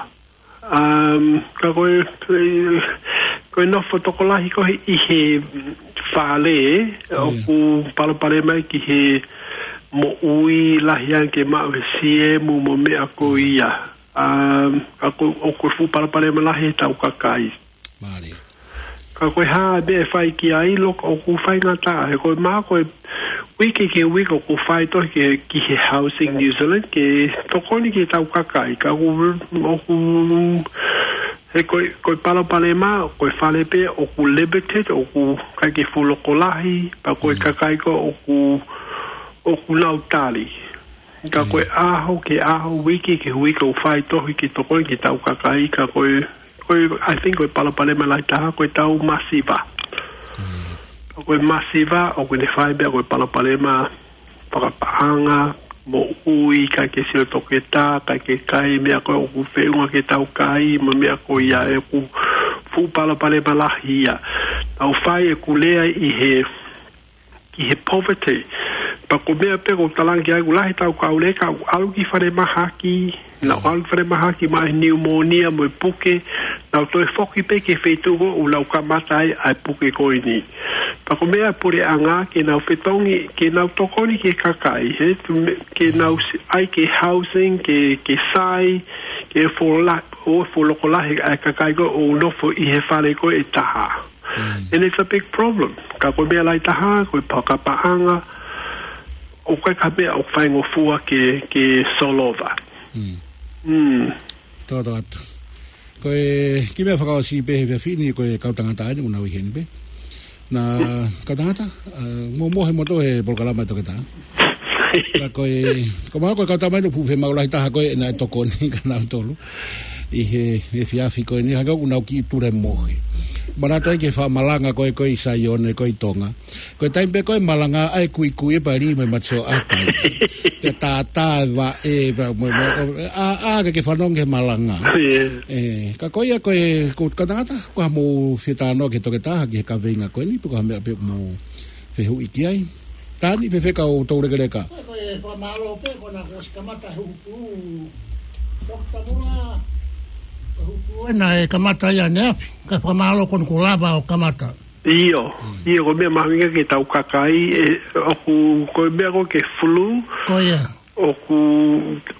Um, ka ko e, ko e nofo tokolahi ko ē ʻi he fale, ʻoku palopalema ki he moʻui, lahi ange ke maʻu he siemu mo e meʻa ko ia. Um, ka ko, ʻoku fuʻu palopalema lahi ʻetau kakai. Mālie. Ka ko e hā e meʻa ʻe fai ki ai, look, ʻoku faingataʻa, he ko e mā ko e uike ki he uike ʻoku fai tohi ki, ki he Housing New Zealand, ke tokoni ki heʻetau kakai, ka ʻoku, ʻoku He ko e, ko e palopalema, ko e fale pē ʻoku limited, ʻoku ʻikai ke fuʻu loko lahi, pea ko e Mm. kakai ko ē ʻoku, ʻoku nau tali. Ka ko e Mm. ʻaho ki he ʻaho, uike ki he uike, ʻoku fai tohi ke tokoni ki heʻetau kakai, ka ko e, ko e, I think ko e palopalema lahi taha, ko ʻetau masiva. Mm. Ko e masiva, ʻoku ne fai pē ia ko e palopalema fakapaʻanga, moʻui, ʻikai ke sio toketā, ʻikai ke kai, meʻa ko ē ʻoku feʻunga ke tau kai, mo e meʻa ko ia ʻoku fuʻu palopalema lahi ia. Tau fai ʻeku lea ʻi he, ki he poverty. Pea ko e meʻa pē ʻoku ou talaange ai, ʻoku lahi ʻetau kau leka, ʻoku ʻalu ki falemahaki, nau ʻalu ki falemahaki maʻa e pneumonia mo e puke, nau toe foki pē ki he feituʻu ko ē ʻoku nau kamata ai ʻa e puke ko eni. Pea ko e meʻa ʻa e puleʻanga ke nau fetongi, ke nau tokoni ki he kakai, he, ke nau si-, ʻai ke housing, ke, ke sai, ke fuʻu la-, ʻo fuʻu loko lahi ʻa e kakai ko ē ʻoku nofo ʻi he fale ko ē ʻe taha. Mm. And it's a big problem. Ka ko e meʻa lahi taha, ko e fakapaʻanga, ʻoku ʻikai ko ha meʻa ʻoku faingofua ke, ke solova. Mm. Mm. Tō tō atu. Ko e kiʻi meʻa fakaʻosi pē he efiafi ni, ko e kau tangata ʻeni, ʻoku nau ʻi heni pē. Naʻa kau tangata, ʻa, mo, mo he moto he polokalama ʻa e toketā. Ka ko e, ko e mahalo ko e kau tama ʻeni ʻoku fuʻu fiemaʻu lahi taha ko ē naʻe tokoni kia nautolu ʻi he, he efiafi ko eni, hangē ʻoku nau kiʻi tulemohe. Manatuʻi ki he fakamalanga ko ē, ko ē ʻi Saione, ko ē ʻi Tonga. Ko e taimi pē ko ē malanga ai kuikui e pali mo e mate sioʻata. Ke tātā e vaʻe, pea mo, mo, ʻa, ʻa, ke, ke fanongo he malanga. Yeah. ʻE, ka ko ia ko e, ko e kau tangata, ko e hā hoʻomou fie talanoa ki he toketā, ki he kaveinga ko eni, pe ko e hā e meʻa pē ʻoku mou fehuʻi ki ai. Tani, fēfē kau toulekeleka? Ko e, ko e fakamālō pē, ko ena kuo ʻosi kamata huhu. Toketā Mula, huhu ena ʻe kamata ia ʻaneafi. Ka fakamālō ko ena kuo lava ʻo kamata. ʻIo, Mm. ʻio, ko e meʻa mahuʻinga ki heʻetau kakai, ʻe, ʻoku, ko e meʻa ko ē ki he flu, Ko ia. ʻoku,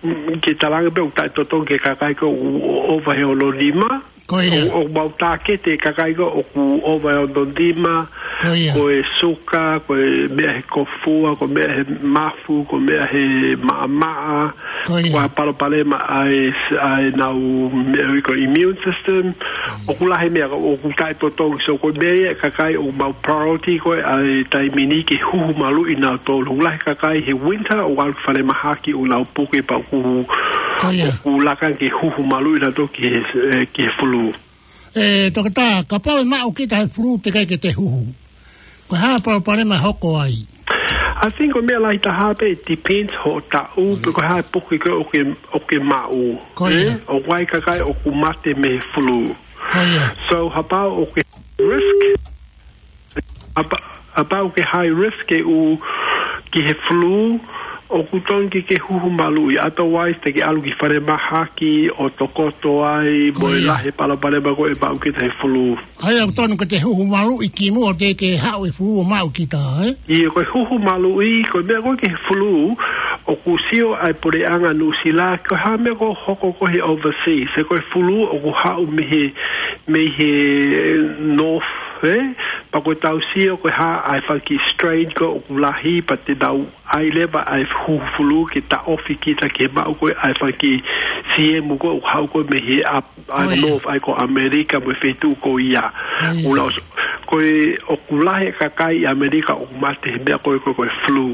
mm, ke talaange pē ʻoku taʻetotongi ki he kakai ko ē ʻoku ʻova he ono nima. Ko ia. ʻO, ʻoku mau tāketi e kakai ko ē ʻoku ʻova he ono nima. Ko ia. Ko e suka, ko e meʻa he kofua, ko e meʻa he mafu, ko e meʻa he maʻamaʻa. Ko ia. Ko e palopalema ʻa e, ʻa ʻenau meʻa ʻoku ui ko e immune system. Mm. ʻOku lahi e meʻa ʻoku taʻetotongi, so ko e meʻa ia e kakai ʻoku mau priority ko ē ʻa e taimi ni ke huhu maluʻi nautolu. ʻOku lahi e kakai he winter ʻoku ʻalu ki falemahaki ʻoku nau puke pea ʻoku, Ko ia. ʻoku laka ke huhu maluʻi nautolu ki he, eh, ki he flu. ʻE, toketā, kapau ʻe maʻu kita he flu teʻeki ai ke te huhu, ko e hā e palopalema ʻe hoko ai? I think ko e meʻa lahi taha pē, it depends hoʻo taʻu, pe ko e hā e puke ko ē ʻoku ke, ʻoku ke maʻu. Ko ia. ʻE, ʻoku ʻi ai e kakai ʻoku mate mei he flu. Ko ia. So, kapau ʻoku ke risk, apa-, kapau ʻoku ke high risk ke ʻalu ki he flu, ʻoku totonu ke ke huhu maluʻi. Otherwise, te ke ʻalu ki falemahaki ʻo tokoto ai, Ko mo e ia. lahi e palopalema ko ē ʻe maʻu kita he flu. ʻA ia, ʻoku totonu ke te huhu maluʻi kimuʻa teʻeki ke haʻu e flu ʻo maʻu kita, ē? ʻIo, ko e huhu maluʻi, ko e meʻa ko ē ki he flu, ʻoku sio ai e puleʻanga Nuʻusila, ko e hā e meʻa ʻoku hoko ko ē he overseas, he ko e flu ʻoku haʻu mei he, mei he north, ē? Pea ko ʻetau sio ko e hā ʻa e fanga kiʻi strain ko ē ʻoku lahi, pea te nau ʻai leva ʻa e huhu flu ke taʻofi kita ke maʻu ko ē ʻa e fanga kiʻi siemu ko ē ʻoku haʻu ko ē mei he ʻa, ʻa Ko ia. North, ʻa ia ko ʻAmelika mo e feituʻu ko ia. Ko ia. ʻUluaki, ko e ʻoku lahi e kakai ʻi ʻAmelika ʻoku mate he meʻa ko ē ko e, ko e flu.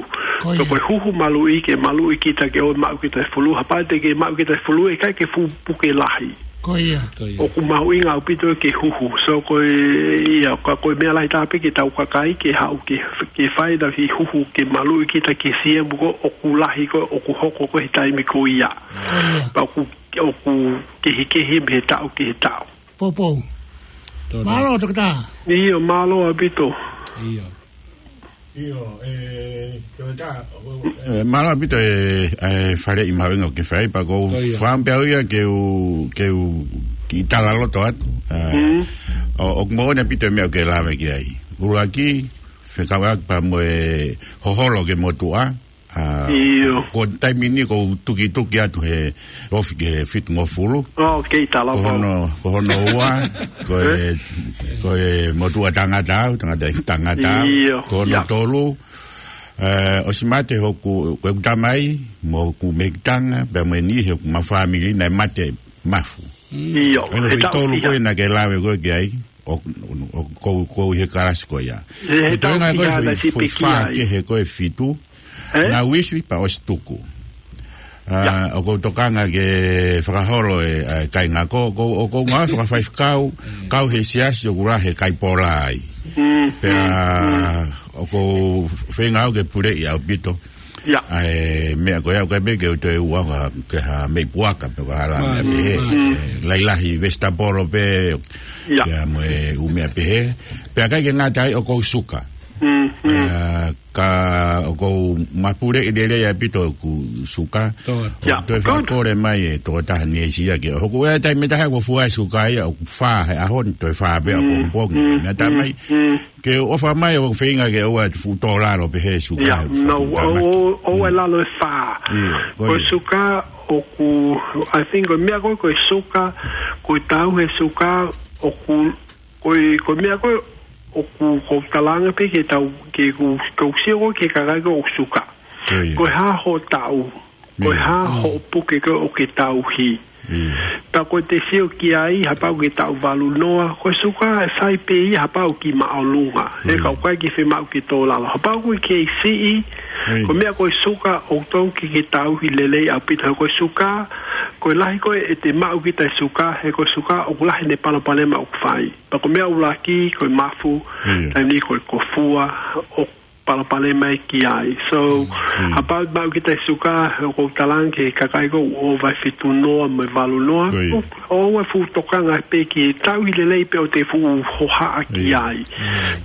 Ko So ia. ko e huhu maluʻi ke maluʻi kita ke ʻoua ʻe maʻu kita he flu. Kapau te ke maʻu kita he flu, ʻe ʻikai ke fuʻu puke lahi. Ko ia. Ko ia. ʻOku mahuʻinga ʻaupito ke huhu. So ko e, ia, ka ko e meʻa lahi taha pē ki heʻetau kakai ke haʻu ke, ke fai ʻenau kiʻi huhu ke maluʻi kita ki he siemu ko ē ʻoku lahi ko ē ʻoku hoko ko ē he taimi ko ia. Ko ia. Pea ʻoku, ʻoku kehekehe mei he taʻu ki he taʻu. Poupou. Tō tō. Mālō, toketā. ʻIo, mālō ʻaupito. ʻIo. ʻIo, ʻe, toketā, ʻo, ʻE, mālō ʻaupito e, e faleʻi mahuʻinga ʻoku ke fai, pea ʻoku ou Ko ia. fakaʻamu pē au ia ke u, ke u kiʻi talaloto atu. ʻA, Mm. ʻo, ʻoku moʻoni ʻaupito e meʻa ʻoku ke lave ki ai. ʻUluaki, fekauʻaki pea mo e hoholo ki he motuʻa. ʻA, ʻIo. Ko e taimi ni ʻoku ou tukituki atu he ofi ki he fitungofulu. ʻŌ, kei tala Ko pau. hono, ko hono ua, ko e, Ē? ko e motuʻa tangata au, tangata, tangata au. ʻIo, Ko hono ia. tolu, ʻe, ʻosi mate hoku, ko ʻeku tamai, mo hoku mehikitanga, pea mo e niʻihi ʻo ʻeku fāmili naʻe mate mafu. ʻIo, ʻa e he taʻu tolu ko ia. Ko ē naʻa ke lave ko ē ki ai, ʻo, ʻo, ko, ko e he kalasi ko ia. He, he taʻu fiha naʻe sipi ki ai. Ko e fā kehe ko e fitu, ē? Naʻa uisi pea ʻosi tuku. ʻA, ʻoku ou tokanga ke fakaholo e, ʻa e kāinga ko, ko, ʻoku ou ngāue fakafaifekau, kau he siasi ʻoku lahi e kaipola ai. Mm, pea, mm, mm. ʻOku ou feinga au ke puleʻi ʻaupito. ʻA e meʻa ko ia, ʻoku ʻikai pē ke u toe ʻuhinga ki ha meʻi puaka, pe ko ha meʻa pehē. Mm. Ē, lahilahi vesitapolo pē, pea mo e ʻū meʻa pehē. Pea ʻikai ke ngata ai ʻoku ou suka. Mm, mm. Ē, ka ʻoku ou mapuleʻi lelei ʻaupito ʻeku suka. ʻOku toe fakakole mai e tokotaha ni e sia ke. ʻOku ʻi ai e taimi ʻe taha ʻoku fua e suka ia, ʻoku fā he ʻaho ni, toe fā pē ʻapongipongi. Mm, mm, mm. Naʻa ta mai, ke ʻofa mai ʻo feinga ke ʻoua ʻe fuʻu tō lalo pehē suka. ʻIo, he no, ʻoua, ʻoua ʻe lalo e fā. ʻIo, ko e suka ʻoku, I think ko e meʻa ko ē ko e suka, ko e tauhi e suka, ʻoku, ko e, ko e meʻa ko ē ʻoku, ʻoku ou talaange pē ke tau, ke ku, ke u sio ko ē ki he kakai ko ē ʻoku suka. Ko e hā hoʻo taʻu, ko e hā hoʻo puke ko ē ʻoku ke tauhi. Pea ko e te sio ki ai, kapau ʻoku ke taʻu valu noa, ko e suka ʻe fai pē ia kapau ʻoku ke māʻolunga. He ka ʻoku ʻikai ke fiemaʻu ke tō lalo. Kapau ʻoku ke siʻi, ko e meʻa ko e suka ʻoku totonu ke ke tauhi lelei ʻaupito. He ko e suka, ko e lahi ko ē ʻete maʻu kita e suka, he ko e suka ʻoku lahi ʻene palopalema ʻoku fai. Pea ko e meʻa ʻuluaki, ko e mafu, taimi ni ko e kofua, ʻoku palopalema ia ki ai. So, kapau ʻoku maʻu kita e suka, ʻoku ou talaange ki he kakai ko ē ʻoku ʻova e fitu noa mo e valu noa, ʻoua ʻe fuʻu tokanga pē ki he tauhi lelei pē ʻo te fuʻu hohaʻa ki ai.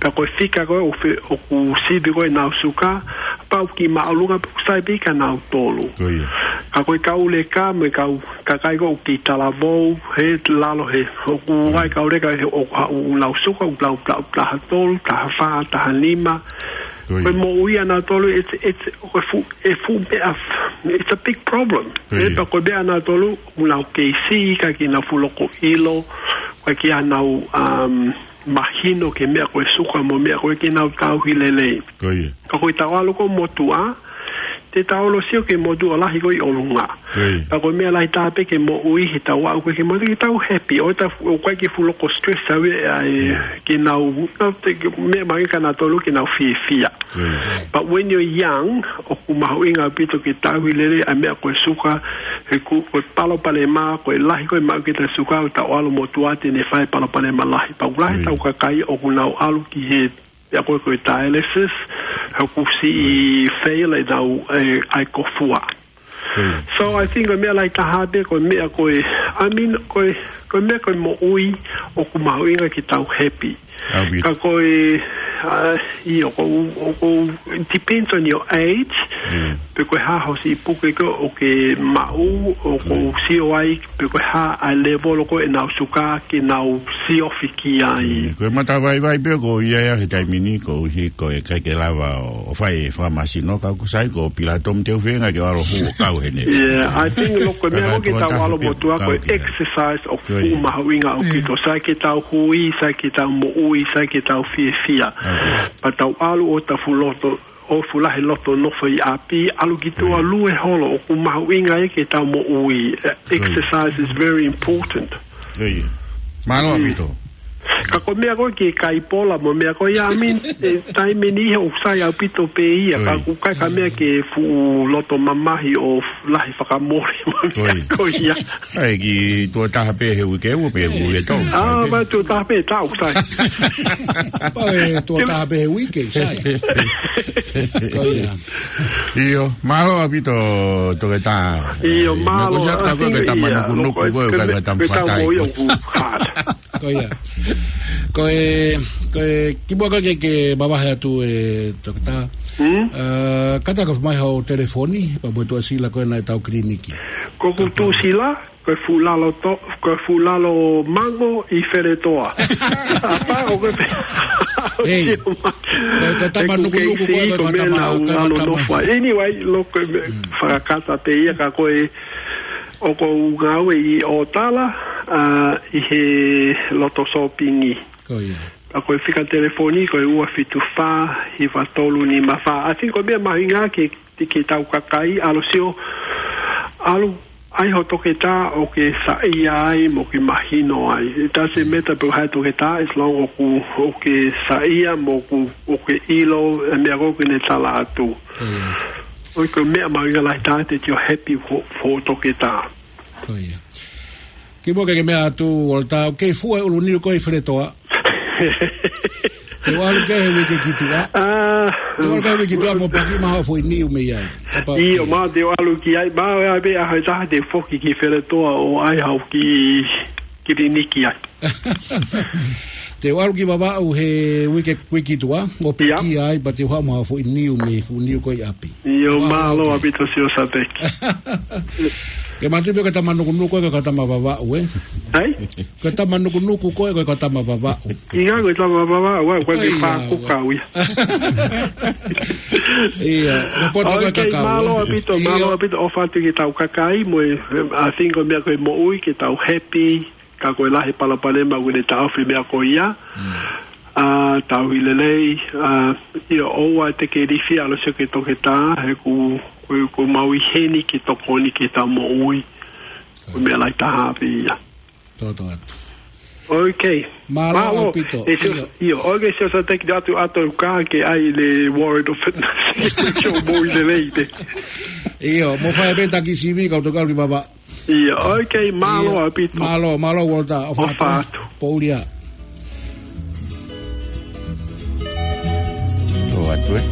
Pea ko e fika ko ē ʻoku fe-, ʻoku sivi ko ē ʻenau suka, kapau ʻoku ke māʻolunga pē ʻoku sai pē kia nautolu. Ka ko e kau leka mo e kau kakai ko ē ʻoku kei talavou, he lalo he, ʻoku ʻi ai e kau leka he ʻoku haʻu ʻenau suka, ʻoku lau, lau, taha tolu, taha fā, taha nima. Ko e moʻui ʻanautolu, it's, it's, ko e fuʻu, e fuʻu meʻa, it's a big problem. Pea ko e meʻa ʻanautolu, ʻoku nau kei siʻi, ʻikai ke nau fuʻu loko ʻilo, ʻikai ke nau, um, mahino ki he meʻa ko e suka mo e meʻa ko ē ke nau tauhi lelei. Ka ko e tau ʻalu ko ē motuʻa, te tau ʻalu ʻo sio ki he motuʻa lahi ko ē ʻi ʻolunga. Ka ko e meʻa lahi taha pē ke moʻui, he tau aʻu ko ē ki he motuʻa, ke tau happy, ʻo tau, ʻoku ʻikai ke fuʻu loko stress au ē, ʻa e, ke nau, nau te, ke meʻa mai kia nautolu ke nau fiefia. But when you're young, ʻoku mahuʻinga ʻaupito ke tauhi lelei ʻa e meʻa ko e suka, he ko e, ko e palopalema, ko e lahi ko ē maʻu kita e suka, ʻo tau ʻalu motuʻa te ne fai palopalema lahi. Pea ʻoku lahi tau kakai ʻoku nau ʻalu ki he, ia ko e, ko e dialysis, he ʻoku siʻi fail ʻenau, e, ʻa e kofua. So I think ko e meʻa lahi taha pē, ko e meʻa ko e, I mean, ko e, ko e meʻa ko e moʻui ʻoku mahuʻinga ke tau happy. Ka ko e, uh, ʻio, ko, ko, it depends on your age, pe ko e hā hoʻo siʻi puke ko ē ʻoku ke maʻu, ʻoku ke sio ai, pe ko e hā ʻa e level ko ē ʻenau suka ke nau siofi ki ai. Ko e matavaivai pē ko ia he taimi ni, koeʻuhi ko e ʻikai ke lava ʻo, ʻo fai e fakamasino, ka ʻoku sai ko Pilato mo te u feinga ke ʻalu ʻo hū ʻo kau heni. Yeah, I think, look, ko e meʻa ko ē ke tau ʻalu motuʻa ko e exercise ʻoku fuʻu mahuʻinga ʻaupito. Sai ke tau hui, sai ke tau moʻui, sai ke tau fiefia. Pea tau ʻalu ʻo tau fuʻu loto, ʻo fuʻu lahi loto nofo ʻi ʻapi, ʻalu ki tuʻa lue holo, ʻoku mahuʻinga ia ke tau moʻui. Exercise is very important. Mālō ʻaupito. Ka ko e meʻa ko ē ke kaipola mo e meʻa ko ia, I mean, e, taimi ni he ʻoku sai ʻaupito pē ia, ka ʻoku ʻikai ko ha meʻa ke fuʻu loto mamahi ʻo lahi fakamole mo e meʻa ko ia. ʻAi, ki tuʻo taha pē he uike, ua pē he uike tolu. ʻA, sai pē. Tuʻo taha pē taʻu, sai. ʻAi, tuʻo taha pē he uike, sai. Ko ia. ʻIo, mālō ʻaupito, Toketā. ʻIo, mālō. Ko e tamanukunuku ko ē, ko e tamafatai. Ko ia. Ko e, ko e, kimuʻa ko ē ke, ke mavahe atu e Toketā. Kata ka mai hao telefoni, pea mo e tuʻasila ko ē ʻa e tau kiliniki. Ko ʻeku tuʻasila, ko e fuʻu lalo to-, ko e fuʻu lalo mango ʻi Feletoa. ʻApā ʻoku pehē. Ei. Ko e tamanukunuku ko ē, ko e tama, ko e tama. Anyway, look, fakakata pē ia ka ko e ʻoku ou ngāue ʻi ʻOtala, ʻa, ʻi he loto sōpingi. Ko ia. Pea ko e fika telefoni, ko e ua fitu fā, hiva tolu nima fā. I think ko e meʻa mahuʻinga ke, ke tau kakai, ʻalu ʻo sio, ʻalu, ʻAi ho toketā ʻo ke saiʻia ai mo ke mahino ai. It doesn't matter pe ko hai toketā, as long ʻoku, ʻoku ke saiʻia mo ʻoku, ʻoku ke ʻilo e meʻa ko ē ʻoku ne tala atu. Ko ia. ʻOku ʻi ai e meʻa mahuʻinga lahi taha, that you're happy for, for toketā. Ko ia. Kimuʻa ke ke meʻa atu, Walter, ʻoku ke fuʻu ʻulu niu ko ē ʻi Feletoa. Te u ʻalu ki ai he uike ki tuʻa. Ah. Te u ʻalu ki ai he uike ki tuʻa mo paki mai haʻo foʻi niu mei ai. Kapau ʻIo, ʻe. ma te u ʻalu ki ai, ma ʻe ʻai pē ʻaho ʻe taha te u foki ki Feletoa ʻo ʻai haʻo kiʻi kiliniki ai. Te u ʻalu ki Vavaʻu he uike, uike ki tuʻa, ʻo Ia. pekia ai, pea te u haʻu mo haʻo foʻi niu mei he fuʻu niu ko ē ʻi ʻapi. ʻIo, Vavaʻu mālō ʻaupito, Sio Sateki. Ke mātuʻaki pē ko e tama nukunuku ē, ko e tama Vavaʻu ē. Hai? Ko e tama nukunuku ko ē, ko e tama Vavaʻu. ʻIo, ko e tama Vavaʻu, ʻa, ko e Ko ia, pākuka ua. ʻIo, ko e poto ko e Okay, kakau, mālō ē. ʻaupito, mālō ʻIo. ʻaupito, ʻofa atu ki heʻetau kakai mo e, I think ko e meʻa ko e moʻui, ke tau happy, ka ko e lahi e palopalema ʻoku ne taʻofi e meʻa ko ia. Mm. ʻA, tauhi lelei, ʻa, ʻio, ʻoua te ke ilifia ʻalu ʻo sio ki he toketā, he ʻoku, ʻoku, ʻoku mau ʻi heni ke tokoni ki heʻetau moʻui. Ko e meʻa lahi taha pē ia. Toto atu. Okay. Mālō Mālō. ʻaupito. ʻE Sio, ʻIo. ʻio, okay, Sio Sateki, ʻoatu atu ka ke ʻai e warrant of fitness. Ke ke moʻui lelei pē. ʻIo, mou fai pē taki sivi, kau toki ʻalu ki Vavaʻu. ʻIo, okay, mālō ʻIo. ʻaupito. Mālō, mālō, Walter, ʻofa atu, ʻOfa ē. atu. Pouli ā. Ō atu, ē.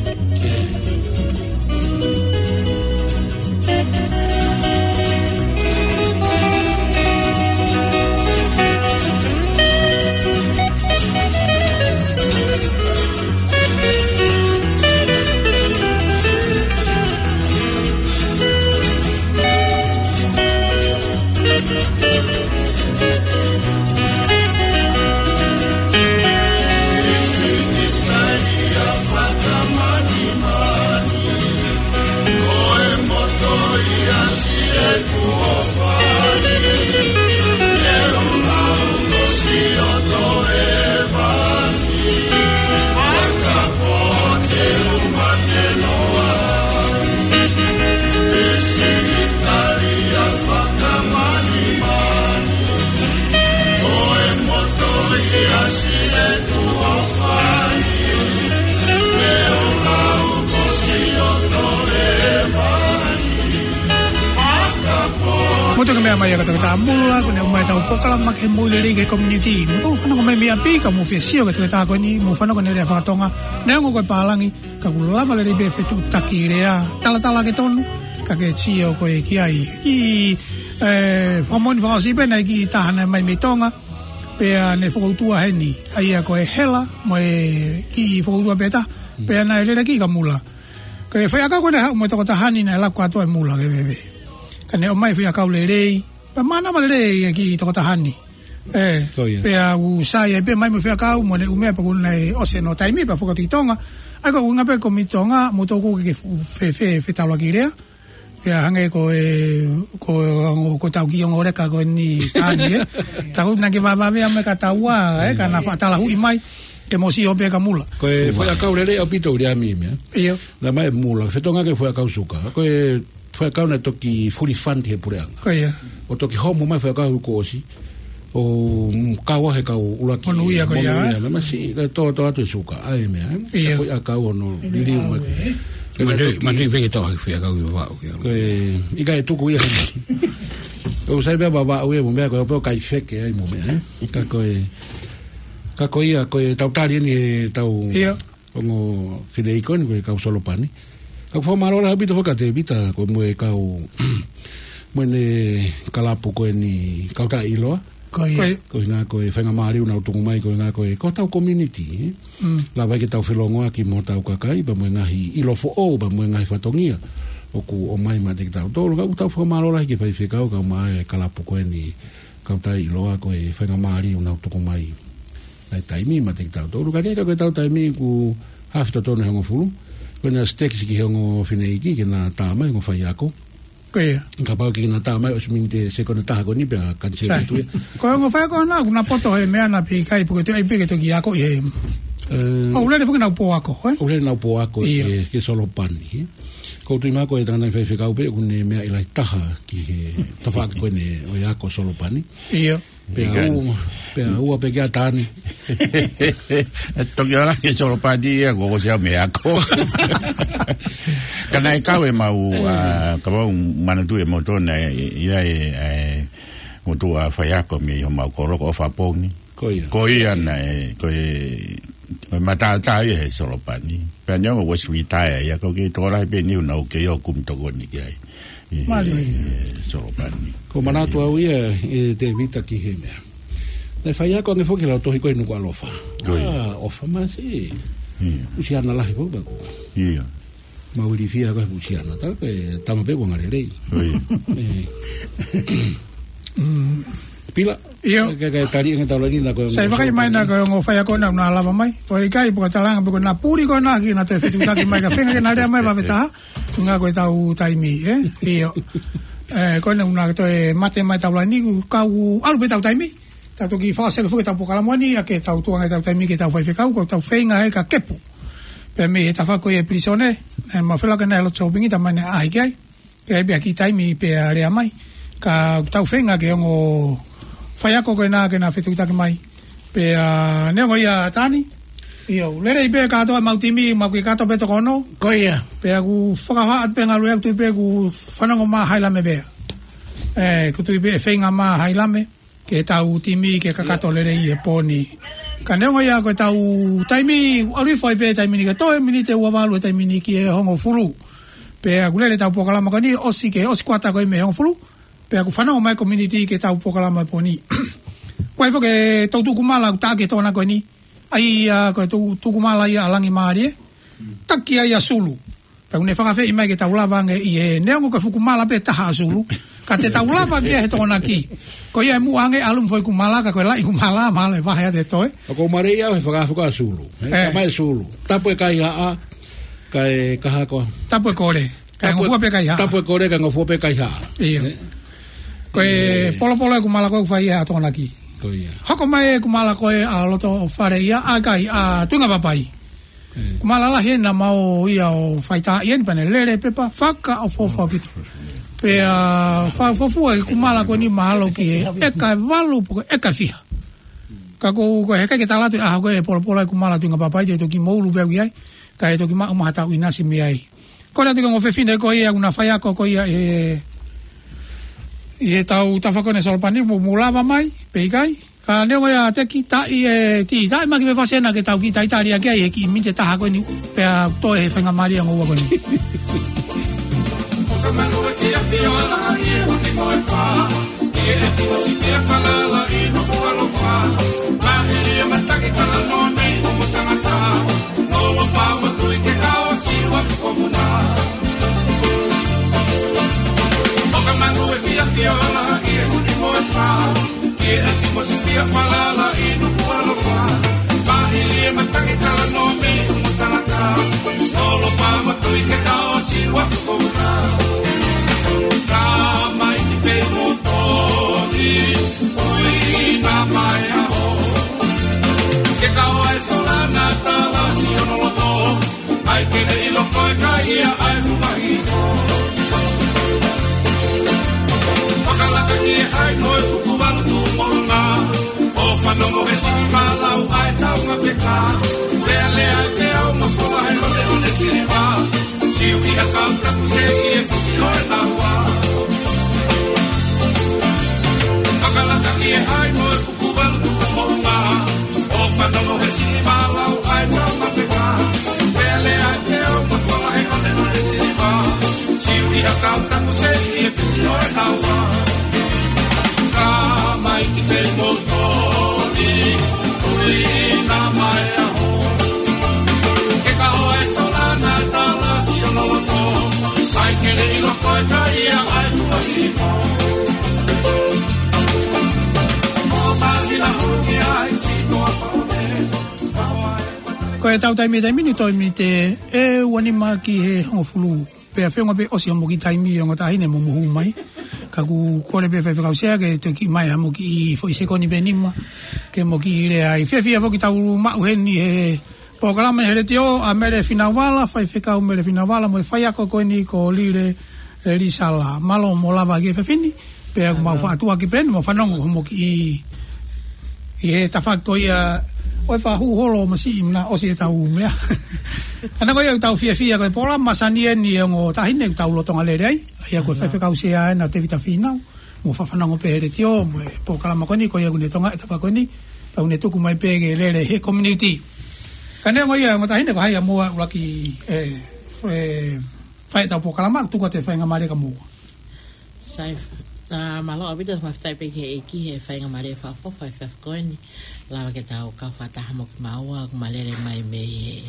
Mou toki meʻa mai ā ka toki tā mula, ko ʻene ʻomai ʻetau polokalama ke moʻui lelei ki he community. Mou toki fanongo mai mei ʻapi, ka mou fie sio ki he toketā ko eni, mou fanongo ki heʻene lea faka-Tonga, neongo ko e pālangi, ka ʻoku lava lelei pē fetuʻutaki lea, talatala ke tonu, ka ke sio ko ē ki ai. Ki, ē, fakamoʻoni fakaʻosi pē naʻe ʻi ai e kiʻi taha naʻe ʻomai mei Tonga, pea ne fokoutua heni, ʻa ia ko e Hela, mo e kiʻi fokoutua pē ʻe taha, pea naʻe lele ki ka mula. Ko e foʻi ʻakau ko ē naʻe haʻu mo e tokotaha ni naʻe laku kātoa e mula ke veve. Ka ne ʻomai e foʻi ʻakau lelei, pea mānava lelei e kiʻi tokotaha ni. Ē, Ko ia. pea ʻoku sai ai pē mai mo e foʻi ʻakau mo ʻene ʻū meʻa pea kuo ne ʻosi hono taimi pea foki atu ki Tonga. ʻA ia ko e ʻuhinga pē ko e mei Tonga, mou toki ke fe, fe, fe, fetaulaki lea. Pea hangē ko e, ko, ko ʻetau kiʻi ongo leka ko eni Tani, ē. Tau na ke vavave ame ka taua, ē, ka na faʻa talahuʻi mai, ke mou sio pē ka mula. Ko e foʻi ʻakau lelei ʻaupito ʻuli ami mea. ʻIo. Naʻe ʻomai e mula, fetongi ki he foʻi ʻakau suka. Ko e foʻi ʻakau naʻe toki fully fund he puleʻanga. Ko ia. ʻO toki homo mai e foʻi ʻakau kuo ʻosi. ʻO, mm, kau ai he kau ʻuluaki. Monūʻia ko ia. Monūʻia, naʻe masiʻi, ka tō, tō atu e suka, ʻa e meʻa, ē? ʻIo. Foʻi ʻakau hono liliu mai. Manatuʻi, manatuʻi pē ke tau hake foʻi ʻakau ʻi Vavaʻu, ʻio. Ko e, ʻikai tuku ia heni. ʻOku sai pē Vavaʻu ia mo e meʻa ko ē pē ʻoku ʻikai feke ai mo e meʻa, ē? Ka ko e, ka ko ia, ko ʻetau tali eni ʻetau ʻIo. ongo fineʻeiki ko eni ko e kau Solopani. Ka ʻoku fakamālō lahi ʻaupito foki kia Tēvita, ko e mo e kau, mo ʻene kalapu ko eni Kautaʻi ʻIloa. Ko ia. Ko ia. Ko e ʻuhinga ko e faingamālie naʻa nau tuku mai ko e ʻuhinga ko e, ko hotau community, ē? Mm. Lava ai ke tau felongoaki mo hotau kakai, pea mo e ngaahi ʻilo foʻou, pea mo e ngaahi fatongia ʻoku ʻomai maʻa kitautolu. Ka ʻoku tau fakamālō lahi ki he faifekau kae ʻumaʻā e kalapu ko eni Kautaʻi ʻIloa ko e faingamālie naʻa nau tuku mai ʻa e taimi maʻa kitautolu. Ka ʻi he ʻikai ko ʻetau taimi kuo haʻu totonu he hongofulu. Ko ʻena stekisi ki he ongo fineʻeiki ke na tā mai, ongo faiako. Ko ia. Kapau ʻikai ke na tā mai ʻosi miniti ʻe sekoni ʻe taha ko eni pea kaniseli Sai. atu ia. Ko e ongo faiako na, kuo na poto he meʻa na pē ʻikai, pe ko e toe ʻai pē ke toki ako ʻi he ʻOku lele foki ʻenau pō ako, ē? ʻOku lele ʻenau pō ako ʻi he Solopani, ē? Ko u tui mai ko e tangata faifekau pē ʻoku ne meaʻi lahi taha ki he tafaʻaki ko eni ʻo e ako Solopani. ʻIo. Pea ua, pea ua pē kia Tani. ʻE toki ʻalu ki Solopani ia, ko ko sia me ako. Ka naʻe kau ʻemau, ʻa, ka mau manatu ʻe moutolu naʻe ʻi ai e, e, moutolu ʻa e faiako mei homau kolo ko ʻOfapongi. Ko ia. Ko ia naʻe, ko e, ko e mataotao ia he Solopani. Pea neongo ʻosi retire ia, ko e kiʻi tokolahi pē ʻeni ʻoku nau kei ō ʻo kumi tokoni ki ai. ʻI he Solopani. Ko u manatu au ia, ʻe Tevita, ki he meʻa. Naʻe faiako ange foki he lautohi ko ē Nukuʻalofa. Ko ia. ʻA, ʻOfa masi. ʻIo. Usiana lahi ko ē paku. ʻIo. Mau ilifia ko e Usiana, tā ko e tama pē ko e ngalelei. Ko ia. ʻE. Pila. ʻIo. Ke, ke tali ange tau lani na ko e Sai ongo vakai mai na ko e ongo faiako na ʻoku na lava mai. Ko e ʻikai, pea ka talanga pē ko ʻena puli ko ena ki na toe fetuʻutaki mai ka feinga ke na lea mai vave taha. Ko e ʻuhinga ko ʻetau taimi, ē? ʻIo. ʻE, ko ʻena ʻoku na toe mate mai tau lani, ka ʻoku ʻalu pē ʻetau taimi. Tau toki fakaʻosi foki ʻetau polokalama ni, ʻa ke tau tuku ange ʻetau taimi ki heʻetau faifekau, ko ʻetau feinga ē ka kepu. Pea mei he tafaʻaki ko ia ʻi he pilīsone, ʻe, mau fela ke na ʻi he loto shopping, tā mai ʻene ʻaʻahi ki ai. Pea ʻi ai pē ha kiʻi taimi pea lea mai. Ka ʻoku tau feinga ke ongo faiako ko ena ke na fetuʻutaki mai. Pea neongo ia Tani. ʻIo, lelei pē kātoa ʻemau timi, mau kiʻi kātoa pē toko ono. Ko ia. Pea ʻoku fakahā atu pē ngalu ʻeku tui pē ʻoku fanongo mai Hailame pea. ʻE, ʻoku tui pē ʻe feinga mai Hailame ke tau timi ke kakato lelei he pō ni. Ka neongo ia ko ʻetau taimi, ʻalu hifo ai pē taimi ni ke toe miniti ʻe ua valu he taimi ni ki he hongofulu. Pea ʻoku lele ʻetau polokalama ko eni, ʻosi ke, ʻosi kuata ko ē mei he hongofulu. Pea ʻoku fanongo mai e komiunitī ki heʻetau polokalama he pō ni. Ko e foʻi ke tau tuku mala ʻoku tā ki he Tokonaki ko eni. ʻA ia ko e tu-, tuku mala ia ʻa Langi Mālie. Taki ai ʻa Sulu. Pea ʻoku ne fakaafeʻi mai ke tau lava ange ʻi he neongo ko e fuku mala pē taha ʻa Sulu. Ka te tau lava ki ai he Tokonaki. Ko ia ʻe muʻa ange ʻalu mo e foʻi kuku mala ka ko e laʻi kuku mala, mala ʻe vahe atu ʻe toe. ʻOku ou mālieʻia au he fakaafe ko ē ʻa Sulu. ʻE, ē. Tamai Sulu. Tapu e kaihaʻa, kae kaha ko. Tapu e kole. Kae tapu e, ngofua pē kaihaʻa. Tapu e kole, kae ngofua pē kaihaʻa. ʻIo. Ē. Ko e, ē, polopolo e kuku mala ko ē ʻoku fai ʻe he Tokonaki. Ko ia. Hoko mai e kuku mala ko ē ʻa loto fale ia, ʻa e kai, ʻa Tuinga Papai. Ē. Kuku mala lahi ena mau ia ʻo faitaaʻi eni pea ne lele pepa, fakaʻofoʻofa ʻaupito. Pea, ʻa, fakaʻofoʻofa e kuku mala ko eni mahalo ki he ʻeka ʻe valu pe ko e ʻeka ʻe fiha. Ka ko, ko e heʻikai ke tala atu ʻe au ko e polopolo e kuku mala Tuinga Papai te u toki moulu pē au ʻi ai. Kae toki maʻu mai ha tau ʻinasi mei ai. Ko e lea atu ki he ongo fefine ko ia ʻoku na faiako ko ia ʻi he, ʻi heʻetau tafaʻaki ko eni Solopani, mou, mou lava mai, pe ʻikai. Ka neongo ia Teki, taʻi e tī, taʻi mai ki he fefasi ena ke tau kiʻi talitali ʻaki ai he kiʻi miniti ʻe taha ko eni, pea toe he faingamālie ʻo e houa ko eni. ʻOka manu e fiafia ʻo ala ʻi he uni mo e fā. Ki he ʻetimosifia falala ʻi Nukuʻalofa. Maʻili e mataki talanoa mei ʻumu tangata. Lolo pau matui ke kao siwa fukomuna. ʻOka manu e fiafia ʻo ala ʻi he uni mo e fā. Ki he ʻetimosifia falala ʻi Nukuʻalofa. Maʻili e mataki talanoa mei ʻumu tangata. Lolo pau matui ke kao siwa fukomuna. Ka mai ki pei mo toni, ui na mai aho. Ke kao e sola na tala si ono loto, ai ke ne ʻilo ko e kai ia ʻa e fumahi. Fakalaka ki he hai ko e kuku valu tu molunga, ʻo fanongo he sini malau ʻa e taunga peka. Lea lea ke au ma fola he one one siliva. Siu ʻi ha kau taku se ʻi he fisi ʻo e naua. Fakalaka ki he hai ko e kuku valu tu molunga, ʻo fanongo he sini malau ʻa e taunga peka. Lea lea ke au ma fola he one one siliva. Siu ʻi ha kau taku se ʻi he fisi ʻo e naua. Ka mai ki pei mo toni, ui na mai aho. Ke kao e sola na tala si ono loto, ai ke ne ʻilo ko e kai ia ʻa e fumahi. Ko e tau taimi, taimi ni toe miniti ʻe ua nima ki he hongofulu. Pea feʻunga pē ʻosi hoʻomo kiʻi taimi ongo taʻahine mo mohu mai. Ka ʻoku kole pē Faifekau Sea ke toe kiʻi mai haʻamo kiʻi foʻi sekoni pē nima. Ke mo kiʻi lea ai. Fiefia foki tau maʻu heni he Polokalama he letiō ʻa Mele Finauvala, faifekau Mele Finauvala, mo e faiako ko eni ko Lile, e, Lisala. Mālō mo lava ki he efiafi ni, pea ʻoku mau faʻa tuʻu ʻaki pē eni, mo fanongo hoʻomo kiʻi, ʻi he tafaʻaki ko ia, ʻoku faʻa hū holo masiʻi mena ʻosi ʻetau meʻa. Ka ko ia ʻoku tau fiefia ko e polokalama masani eni ʻa e ongo taʻahine ʻoku tau lolotonga lele ai, ʻa ia ko e faifekau sea ena Tevita Fīnau. Mo faʻa fanongo pē he letiō, mo e polokalama ko eni, ko ia ʻoku ne tokangaʻi e tafaʻaki ko eni, pea ʻoku ne tuku mai pē ke lele he community. Ka neongo ia, ongo taʻahine ko hai ʻa moua ʻuluaki, e, e, fai ʻetau polokalama, tuku atu e faingamālie kia moua. Sai, ʻa, mālō ʻaupito, fakafetaʻi pē ki he ʻEiki he faingamālie fakaʻofoʻofa he efiafi ko eni, lava ke tau kau fakataha mo kimaua, ʻoku ma lele mai mei he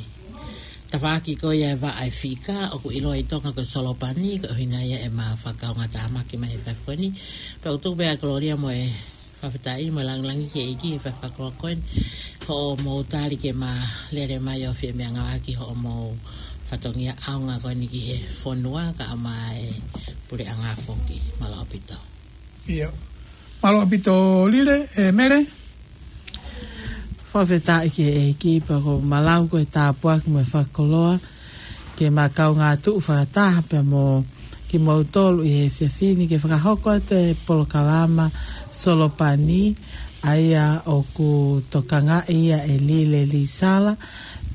tafaʻaki ko ia e vaʻa e fika, ʻoku ʻiloa ʻi Tonga ko e Solopani, ko e ʻuhinga ia ʻema fakakaungātāmaki mai he efiafi ko eni. Pea ʻoku tuku pē ʻa e kolōlia mo e fakafetaʻi mo e lāngilangi ki he ʻEiki he efiafi fakakolokolo ko eni, hoʻomou tali ke ma lele mai ʻo fie meʻangāueʻaki hoʻomou fatongia ʻaonga ko eni ki he fonua, kae ʻumaʻā e puleʻanga foki. Mālō ʻaupito. ʻIo. Mālō ʻaupito Lile, e, Mele. Fakafetaʻi ki he ʻEiki pea ʻoku ma lau ko e tāpuaki mo e fakakoloa ke ma kaungā tuʻu fakataha pea mo kimoutolu ʻi he efiafi ni ke fakahoko atu e polokalama Solopani, ʻa ia ʻoku tokangaʻi ia ʻe Lile Lisala,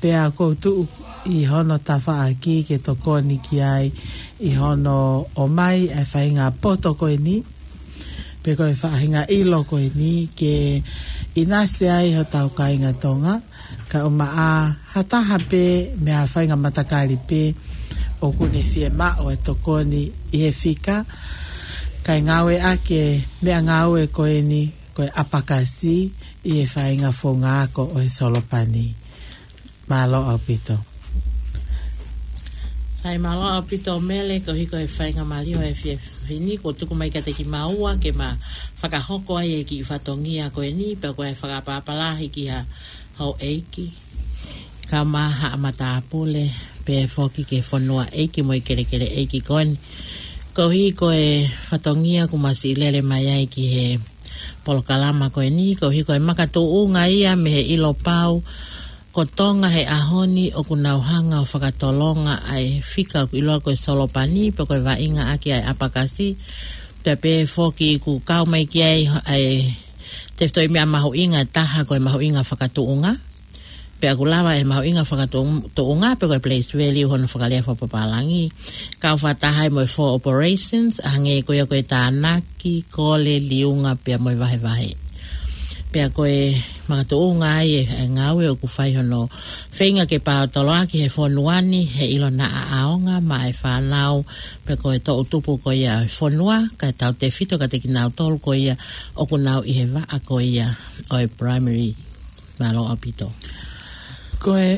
pea ʻoku ou tuʻu ʻi hono tafaʻaki ke tokoni ki ai ʻi hono ʻomai e faʻahinga poto ko eni, pe ko e faʻahinga ʻilo ko eni ke ʻinasi ai hotau kāinga Tonga, kae ʻumaʻā ha taha pē mei ha faʻahinga matakali pē ʻoku ne fiemaʻu e tokoni ʻi he fika, kae ngāueʻaki e meʻangāue ko eni ko e ʻapakasi ʻi he faʻahinga founga ako ʻo e Solopani. Mālō ʻaupito. Sai, mālō ʻaupito Mele, koeʻuhi ko e faingamālie ʻo e efiafi ni kuo tuku mai kiate kimaua ke ma fakahoko ai e kiʻi fatongia ko eni, pea ko e fakapapālangi ki ha houʻeiki, kau mai ha matāpule, pea foki ki he fonuaʻeiki mo e kelekeleʻeiki ko eni. Koeʻuhi ko e fatongia kuo ma siʻi lele mai ai ki he polokalama ko eni, koeʻuhi ko e makatuʻunga ia mei he ʻilo pau ko Tonga he ʻaho ni ʻoku nau hanga ʻo fakatolonga ʻa e fika ʻoku ʻiloa ko e Solopani, pe ko e vaʻinga ʻaki ʻa e ʻapakasi, pea pehē foki kuo kau mai ki ai ʻa e tefitoʻi meʻa mahuʻinga ʻe taha ko e mahuʻinga fakatuʻunga. Pea ʻoku lava e mahuʻinga fakatuʻunga, pe ko e place value hono fakalea fakapapālangi, kau fakataha ai mo e four operations, ʻa hangē ko ia ko e tānaki, kole, liunga, pea mo e vahevahe. Pea ko e makatuʻunga ai e, e ngāue ʻoku fai hono feinga ke paotoloaki he fonua ni, he ʻilo naʻa ʻaonga maʻa e fānau, pe ko e toʻutupu ko ia e fonua, kae tautefito kiate kinautolu ko ia ʻoku nau ʻi he vaʻa ko ia ʻo e primary. Mālō ʻaupito. Ko e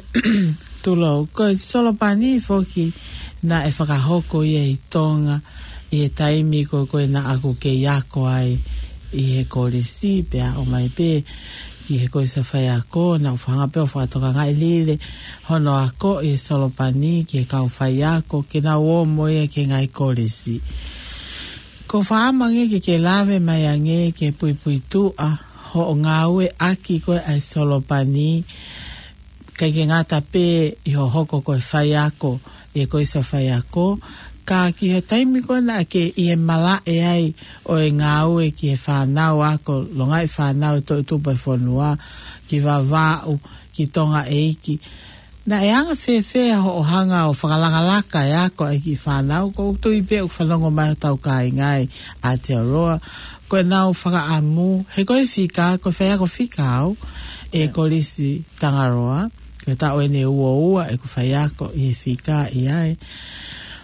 tulou, ko e Solopani foki naʻe fakahoko ia ʻi Tonga ʻi he taimi ko, ko ē naʻa ku kei ako ai ʻi he kolisi, pea ʻomai pē ki he kolisi faiako, naʻa ku hanga pē ʻo fakatokangaʻi lelei hono akoʻi e Solopani ki he kau faiako, ke nau ō mo ia ki he ngaahi kolisi. ʻOku ou fakaʻamu ange ke ke lave mai ange ki he puipuituʻa hoʻo ngāueʻaki ko ē ʻa e Solopani, ʻikai ke ngata pē ʻi hoʻo hoko ko e faiako ʻi he kolisi faiako, ka ki he taimi ko ē naʻa ke ʻi he malaʻe ai ʻo e ngāue ki he fānau ako, longaʻi fānau toʻutupu e fonua, ki Vavaʻu, ki Tongaʻeiki. Naʻe anga fēfē hoʻo hanga ʻo fakalakalaka e ako ʻa e kiʻi fānau? ʻOku ou tui pē ʻoku fanongo mai hotau kāinga ʻi Aotearoa, ko ʻenau fakaʻamu, he ko e fika, ko e faiako fika au ʻi he kolisi Tangaroa, ko e taʻu eni ʻe ua ua ʻeku faiako ʻi he fika ʻi ai.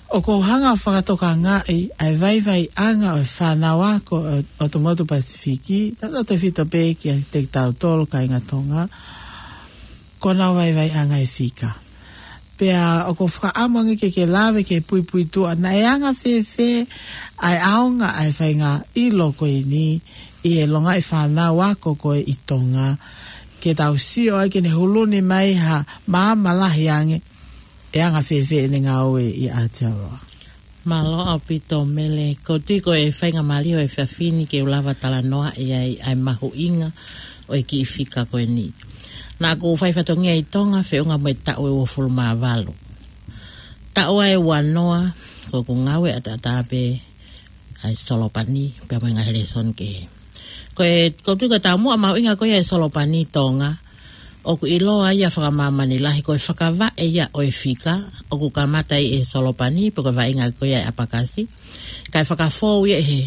ʻOku ou hanga ʻo fakatokangaʻi ʻa e vaivaiʻanga ʻo e fānau ako ʻo, ʻo e motu Pasifiki, tautautefito pē kiate kitautolu kāinga Tonga, ko ʻenau vaivaiʻanga e fika. Pea ʻoku ou fakaʻamu ange ke ke lave ki he puipuituʻa, naʻe anga fēfē ʻa e ʻaonga ʻa e faʻahinga ʻilo ko eni ʻi he longaʻi fānau ako ko ē ʻi Tonga, ke tau sio ai ke ne huluni mai ha maama lahi ange, ʻe anga fēfē ʻene ngāue ʻi Aotearoa? Mālō ʻaupito Mele, ʻoku ou tui ko e faingamālie ʻo e efiafi ni ke u lava talanoaʻi ai ʻa e mahuʻinga ʻo e kiʻi fika ko eni. Naʻá ku fai fatongia ʻi Tonga feʻunga mo e taʻu ʻe uofulu mā valu. Taʻu ʻe uanoa, ko ʻeku ngāue ʻataʻatā pē ʻa e solopani, pea mo e ngaahi lēsoni kehe. Ko e, ʻoku ou tui ko e taumuʻa mahuʻinga ko ia ʻo e solopani ʻi Tonga, ʻoku ʻiloa ia fakamāmani lahi ko e fakavaʻe ia ʻo e fika, ʻoku kamata ʻi he solopani, pe ko e vaʻinga ko ia ʻa e ʻapakasi. Kae fakafou ia he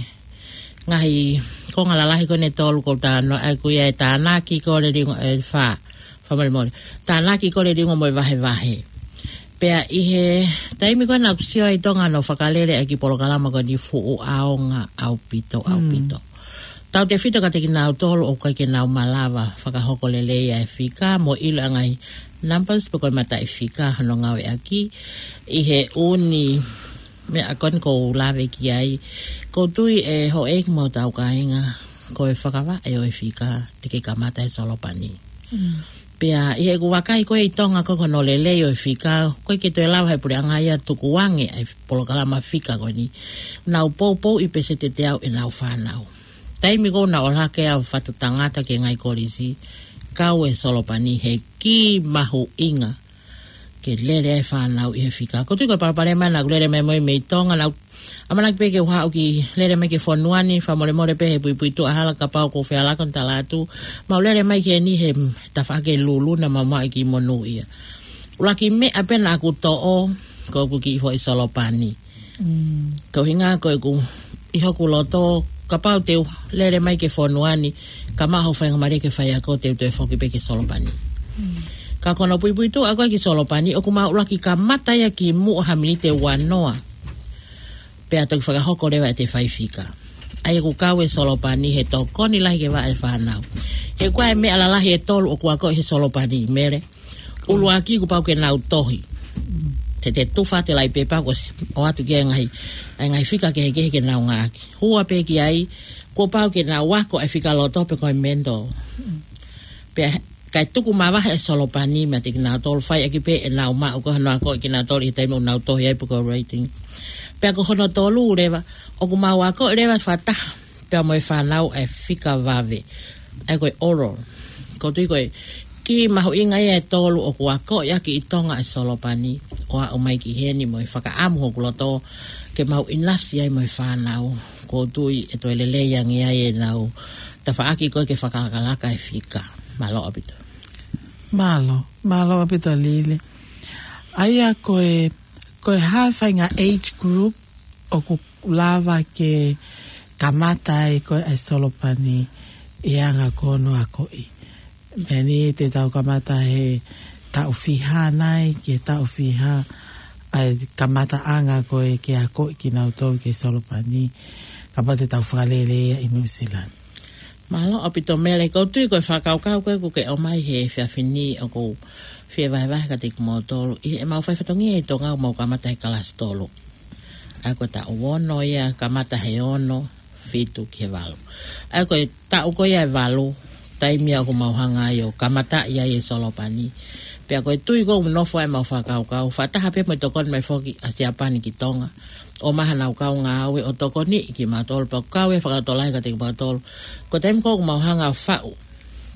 ngaahi konga lalahi ko eni ʻe tolu ʻoku ou talanoa, ʻa ia ko ia e tānaki, kole, liunga, ʻe fā, fakamolemole. Tānaki, kole, liunga mo e vahevahe. Pea ʻi he taimi ko ē naʻá ku sio ai ʻi Tonga naʻe fakalele ʻaki e polokalama ko eni, fuʻu ʻaonga ʻaupito, ʻaupito. Tautefito kiate kinautolu ʻoku ʻikai ke nau malava fakahoko lelei ʻa e fika mo ʻilo ʻa e ngaahi numbers pe ko e mataʻifika hono ngāueʻaki ʻi he ʻū meʻa ko eni ʻoku ou lave ki ai. ʻOku ou tui ʻe houʻeiki mo hotau kāinga, ko e fakavaʻe ʻo e fika te ke kamata he solopani. Pea ʻi heʻeku vakai ko ē ʻi Tonga ko ē ko hono lelei ʻo e fika, ʻoku ʻikai ke toe lava ʻe he puleʻanga ia ʻo tukuange ʻa e polokalama fika ko eni. Nau poupouʻi pē se te te au ʻenau fānau. Taimi ko ē naʻá ku ʻalu hake au ʻo fatu tangata ki he ngaahi kolisi, kau e solopani he kī mahuʻinga ke lele ai e fānau ʻi he fika. ʻOku ou tui ko e palopalema naʻá ku lele mai mo ia mei Tonga, naʻá ku ʻamanaki pē ke u haʻu ki, lele mai ki he fonua ni, fakamolemole pē he puipuituʻa hala kapau ʻoku ou fehālaaki ʻo talaatu, mau lele mai ki heni he tafaʻaki lulu naʻa mau maʻu ki monū ia. ʻUluaki meʻa pē naʻá ku toʻo, ko ʻeku kiʻi foʻi solopani. Ko e ʻuhinga ko ʻeku, ʻi hoku loto, kapau te u lele mai ki he fonua ni, ka maʻu hoʻo faingamālie ke faiako, te u toe foki pē ki he solopani. Ka ko hono puipuituʻa ko ē ki he solopani, ʻoku mau ʻuluaki kamata ia kimuʻa ha miniti ʻe uanoa. Pea toki fakahoko leva ʻete fai fika. ʻA ia ʻoku kau e solopani he tokoni lahi ki he vaʻe ʻa e fānau. He ko e meʻa lalahi ʻe tolu ʻoku akoʻi he solopani, Mele. ʻUluaki kuo pau ke nau tohi. Te te tufa atu e lauʻi pepa kuo ʻosi ʻoatu ki ai e ngaahi, ʻa e ngaahi fika kehekehe ke nau ngāueʻaki. Hua pē ki ai, kuo pau ke nau ako e fika loto pe ko e mental. Pea kae tuku mavahe e solopani meiate kinautolu, fai ʻaki pē ʻenau maʻu ko hono akoʻi kinautolu ʻi he taimi ʻoku nau tohi ai pe ko e writing. Pea ko hono tolu leva, ʻoku mau akoʻi leva fakataha pea mo e fānau ʻa e fika vave. ʻA ia ko e oral. ʻOku ou tui ko e kī mahuʻinga ia ʻe tolu ʻoku akoʻi ʻaki ʻi Tonga e solopani, ʻo aʻu mai ki heni mo e fakaʻamu hoku loto ke mau ʻinasi ai mo e fānau. ʻOku ou tui ʻe toe lelei ange ai ʻenau tafaʻaki ko ē ke fakalakalaka e fika. Mālō ʻaupito. Mālō, mālō ʻaupito Lili. ʻA ia ko e, ko e hā e faʻahinga age group ʻoku lava ke kamata ai ko ē ʻa e solopani ʻi he anga ko hono akoʻi? Meʻa ni te tau kamata he taʻu fiha nai, ki he taʻu fiha ʻa e kamataʻanga ko ē ke akoʻi kinautolu ki he solopani, kapau te tau fakalele ia ʻi Nuʻusila ni. Mālō ʻaupito Mele, ʻoku ou tui ko e fakakaukau ko ē ʻoku ke ʻomai he efiafi ni ʻoku ou fie vahevahe kiate kimoutolu. ʻI heʻemau fai fatongia ʻi Tonga ʻoku mau kamata he kalasi tolu. ʻA ia ko e taʻu ono ia, kamata he ono, fitu ki he valu. ʻA ia ko e taʻu ko ia ʻe valu, taimi ia ʻoku mau hanga ai ʻo kamataʻi ai e solopani. Pea ko e tui ko ē ʻoku nofo ai ʻemau fakakaukau, fakataha pē mo e tokoni mai foki ʻa Siapani ki Tonga, ʻo ʻomai hanau kau ngāue ʻo tokoniʻi kimautolu, pea ʻoku kau e fakalotolahi kiate kimautolu. Ko e taimi ko ē ʻoku mau hanga ʻo faʻu,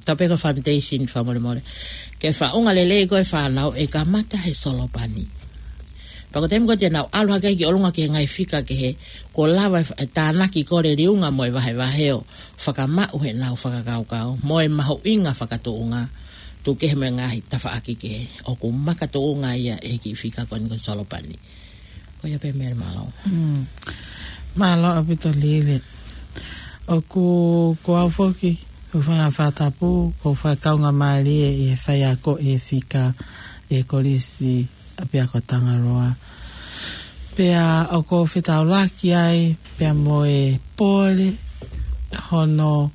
tatau pē ko e foundation fakamolemole, ke faʻunga lelei ko ē e fānau, ʻe kamata he solopani. Pea ko e taimi ko ē te nau ʻalu hake ai ki ʻolunga ki he ngaahi fika kehe, kuo lava e fa-, e tānaki, kole, liunga mo e vahevahe ʻo fakamaʻu heʻenau fakakaukau mo e mahuʻinga fakatuʻunga, tuku kehe mo e ngaahi tafaʻaki kehe ʻoku makatuʻunga ia ʻi he kiʻi fika ko eni ko e solopani. Ko ia pē Mele, mālō. Mm. Mālō ʻaupito Lili. ʻOku, ko au foki, ʻoku ou fanga fakatapu, ʻoku ou fakakaungāmālie ʻi he faiako ʻi he fika ʻi he Kolisi ʻApiako Tangaroa. Pea ʻoku ou fetaulaki ai pea mo e pole hono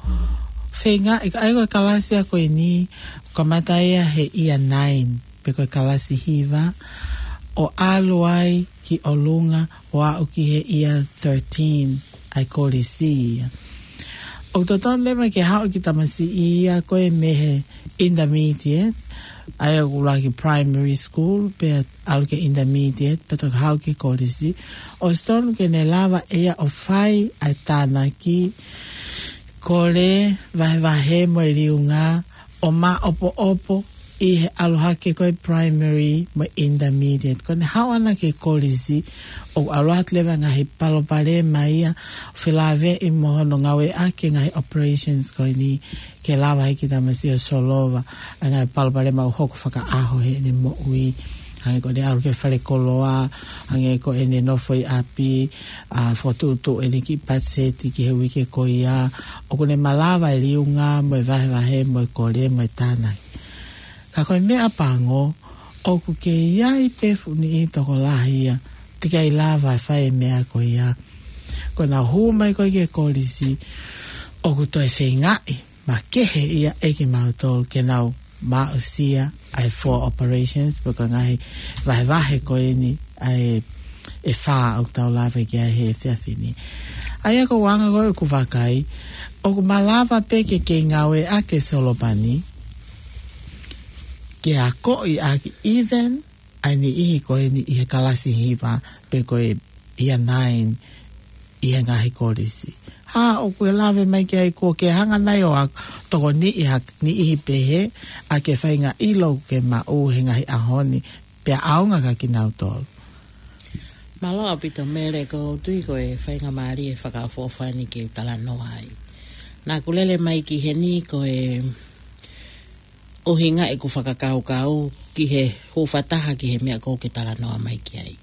feinga, ʻa ia ko e kalasi ia ko eni, kamata ia he year nine, pe ko e kalasi hiva, ʻo ʻalu ai ki ʻolunga, ʻo aʻu ki he year thirteen, ʻa e kolisi ia. ʻOku totonu leva ke haʻu e kiʻi tamasiʻi ia ko ē mei he intermediate, ʻa ia ʻoku ʻuluaki primary school, pea ʻalu ki he intermediate, pea toki haʻu ki he kolisi. ʻOsi totonu ke ne lava ʻe ia ʻo fai ʻa e tānaki, kole, vahevahe mo e liunga, ʻo māʻopoʻopo ʻi he ʻalu hake ko e primary mo e intermediate. Ko ʻene haʻu ʻana ki he kolisi, ʻoku ʻalu atu leva ngaahi palopalema ia, felāveʻi mo hono ngāueʻaki e ngaahi operations ko eni, ke lava ai ke tamasiʻi ʻo solova ʻa e ngaahi palopalema ʻoku hoko fakaʻaho heʻene moʻui. Hangē ko ʻene ʻalu ki he falekoloa, hangē ko ʻene nofo ʻi ʻapi, ʻa, fokotuʻutuʻu ʻene kiʻi patiseti ki he uike ko ia, ʻoku ne malava e liunga mo e vahevahe mo e kole mo e tānaki. Ka ko e meʻa pango, ʻoku kei ʻi ai pē fuʻu niʻihi tokolahi ia, teʻeki ai lava ʻo fai e meʻa ko ia. Ko ʻenau hū mai ko ē ki he kolisi, ʻoku toe feingaʻi makehe ia ʻe kimautolu ke nau aʻusia ʻa e four operations, pe ko e ngaahi vahevahe ko eni ʻa e, ʻe fā ʻoku tau lave ki ai he efiafi ni. ʻA ia ko e anga ko ē ʻeku vakai, ʻoku malava pē ke kei ngāueʻaki e solopani, ke akoʻi ʻaki even ʻa e niʻihi ko eni ʻi he kalasi hiva, pe ko e year nine ʻi he ngaahi kolisi. Ha, ʻoku ke lave mai ki ai, kuo ke hanga nai ʻo ʻai tokoni ʻi ha niʻihi pehē, ʻa e faʻahinga ʻilo ʻoku ke maʻu he ngaahi ʻaho ni, pea ʻaonga kia kinautolu? Mālō ʻaupito Mele, ʻoku ou tui ko e faingamālie fakaʻofoʻofa eni ke u talanoa ai. Naʻá ku lele mai ki heni ko e ʻuhinga ʻeku fakakaukau ki he hūfataha ki he meʻa ʻoku ke talanoa mai ki ai.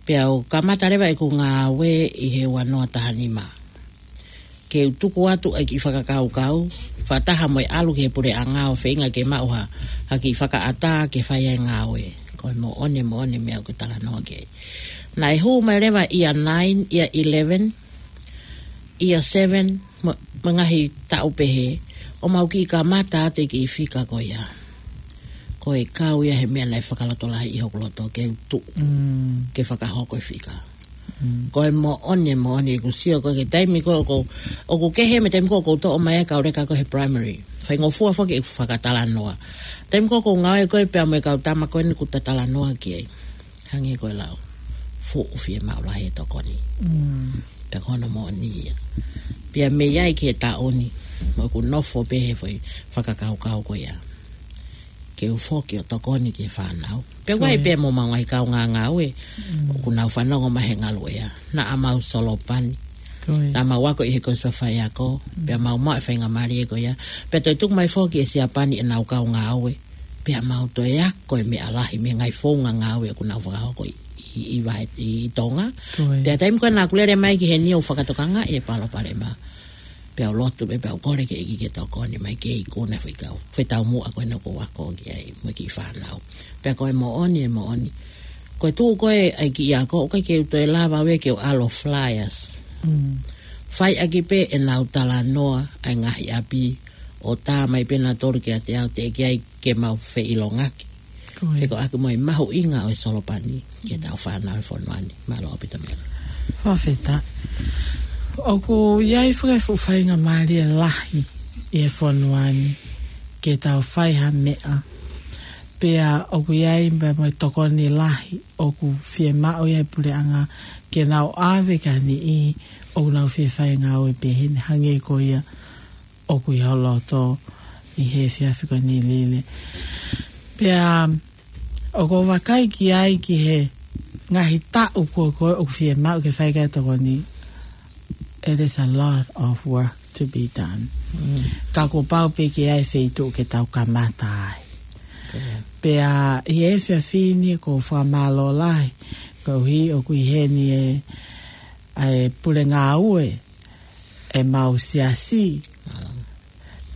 Pea u kamata leva ʻeku ngāue ʻi he ua noa taha nima. Ke u tuku atu ʻa e kiʻi fakakaukau, fakataha mo e ʻalu ki he puleʻanga ʻo feinga ke maʻu ha, ha kiʻi fakaʻatā ke fai ai e ngāue. Ko e moʻoni, moʻoni e meʻa ʻoku ke talanoa ki ai. Naʻe hū mai leva year nine, year eleven, year seven, mo, mo e ngaahi taʻu pehē, ʻo mau kiʻi kamata atu e kiʻi fika ko ia. Ko e kau ia he meʻa naʻe fakalotolahiʻi hoku loto ke u tuʻu, mm, ke fakahoko e fika. Mm. Ko e moʻoni, moʻoni ʻeku sio ko ē ki he taimi ko ē ʻoku, ʻoku kehe mo e taimi ko ē ʻoku ou toʻo mai ai e kau leka ko ē he primary. Faingofua foki ʻeku fakatalanoa. Taimi ko ē ʻoku ou ngāue ko ē pea mo e kau tama ko eni ʻoku ta talanoa ki ai. Hangē ko e lau, fuʻu fiemaʻu lahi e tokoni. Mm. Pea ko hono moʻoni ia. Pea mei ai ki he taʻu ni, mo ʻeku nofo pē he foʻi fakakaukau ko ia, ke u foki ʻo tokoni ki he fānau. Pea ʻoku ʻi ai, ko ia, pē mo ʻemau ngaahi kaungā ngāue, mm, ʻoku nau fanongo mai he ngaluʻea. Naʻa mau solopani. Ko ia. Naʻa mau ako ʻi he kolisi faiako, mm, pea mau maʻu e faingamālie ko ia. Pea toe tuku mai foki ʻe Siapani ʻenau kau ngāue. Pea mau toe ako e meʻa lahi mei he ngaahi founga ngāue ʻoku nau fakahoko ʻi, ʻi, ʻi vahe, ʻi, ʻi Tonga. Ko ia. Pea taimi ko ē naʻá ku lele mai ki heni ʻo fakatokangaʻi e palopalema, pea u lotu pē, pea u kole ki he ʻEiki ke tokoni mai ke ikuna e foʻi kau, foʻi taumuʻa ko ē naʻá ku ako ki ai mo e kiʻi fānau. Pea ko e moʻoni, e moʻoni. Ko e tuʻu ko ē ʻa e kiʻi ako, ʻoku ʻikai ke u toe lava ʻe au ke u ʻalu ʻo flyers. Mm. Fai ʻaki pē ʻenau talanoa ʻa e ngaahi ʻapi, ʻo tā mai pē nautolu kiate au, teʻeki ai ke mau feʻilongaki. Ko ia. Fekauʻaki mo e mahuʻinga ʻo e solopani ki heʻetau fānau he fonua ni. Mālō ʻaupito Mele. Fakafetaʻi. ʻOku ʻi ai foki e fuʻu faingamālie lahi ʻi he fonua ni ke tau fai ha meʻa. Pea ʻoku ʻi ai pē mo e tokoni lahi ʻoku fiemaʻu ia ʻe he puleʻanga ke nau ʻave ki ha niʻihi ʻoku nau fie fai e ngāue pehē ni, hangē ko ia ʻoku ʻi ho loto ʻi he efiafi ko eni Lile. Pea ʻoku ou vakai ki ai ki he ngaahi taʻu ko ē ʻoku fiemaʻu ke fai ki ai e tokoni. It is a lot of work to be done. Mm. Ka kuo pau pē ke ʻi ai e feituʻu ke tau kamata ai. Ko ia. Pea ʻi he efiafi ni ʻoku ou fakamālō lahi, koeʻuhi ʻoku ʻi heni e, ʻa e pule ngāue ʻemau siasi,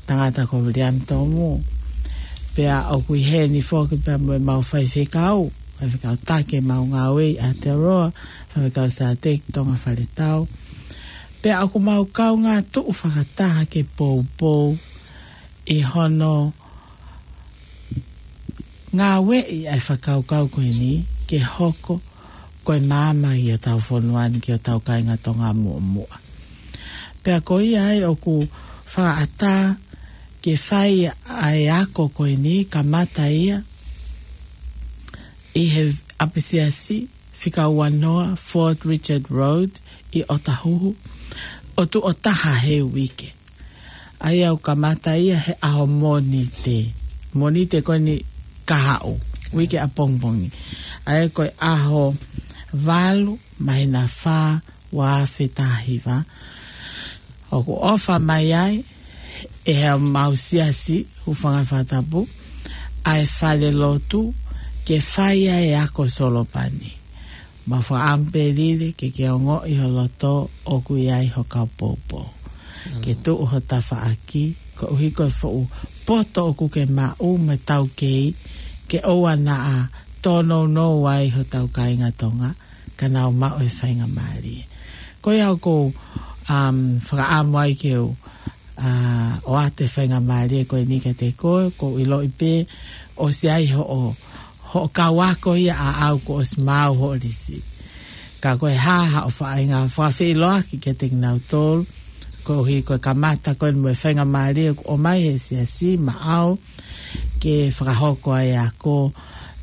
tangata ko Viliami Tomu. Pea ʻoku ʻi heni foki pea mo ʻemau faifekau, faifekau taki ʻemau ngāue ʻi Aotearoa, faifekau Sateki Tonga Faletau. Pea ʻoku mau kaungā tuʻu fakataha ke poupou ʻi hono ngāueʻi ʻa e fakakaukau ko eni ke hoko ko e maama ʻi hotau fonua ni ki hotau kāinga Tonga muʻomuʻa. Pea ko ia ai ʻoku fakaʻatā ke fai ʻa e ako ko eni, kamata ia ʻi he ʻapisiasi fika ua noa Fort Richard Road ʻi ʻOtahuhu, ʻo tuʻo taha he uike. ʻA ia ʻoku kamata ia he ʻaho Mōnite. Mōnite ko eni kahaʻu, uike ʻapongipongi. ʻA ia ko e ʻaho valu, māhina fā, ua afe taha hiva. ʻOku ʻofa mai ai ʻe heʻemau siasi, hūfanga he fakatapu, ʻa e falelotu ke fai ai e ako solopani. Mau fakaʻamu pē Lile ke ke ongoʻi ho loto ʻoku ʻi ai ho kau poupou. Ke tuʻu ho tafaʻaki, koeʻuhi ko e fuʻu poto ʻoku ke maʻu mo e taukei, ke ʻoua naʻa tōnounou ai hotau kāinga Tonga, ka nau maʻu e faingamālie. Ko ia ʻoku ou, um, fakaʻamu ai ke u, uh, ʻoatu e faingamālie ko eni kiate koe, ʻoku ou ʻiloʻi pē ʻosi ai hoʻo, hoʻo kau ako ia ʻaʻau kuo ʻosi maau hoʻo lisi. Ka ko e hā haʻo faʻahinga fakafeʻiloaki kiate kinautolu, koeʻuhi ko e kamata ko eni mo e faingamālie kuo ʻomai he siasi maʻau, ke fakahoko ai e ako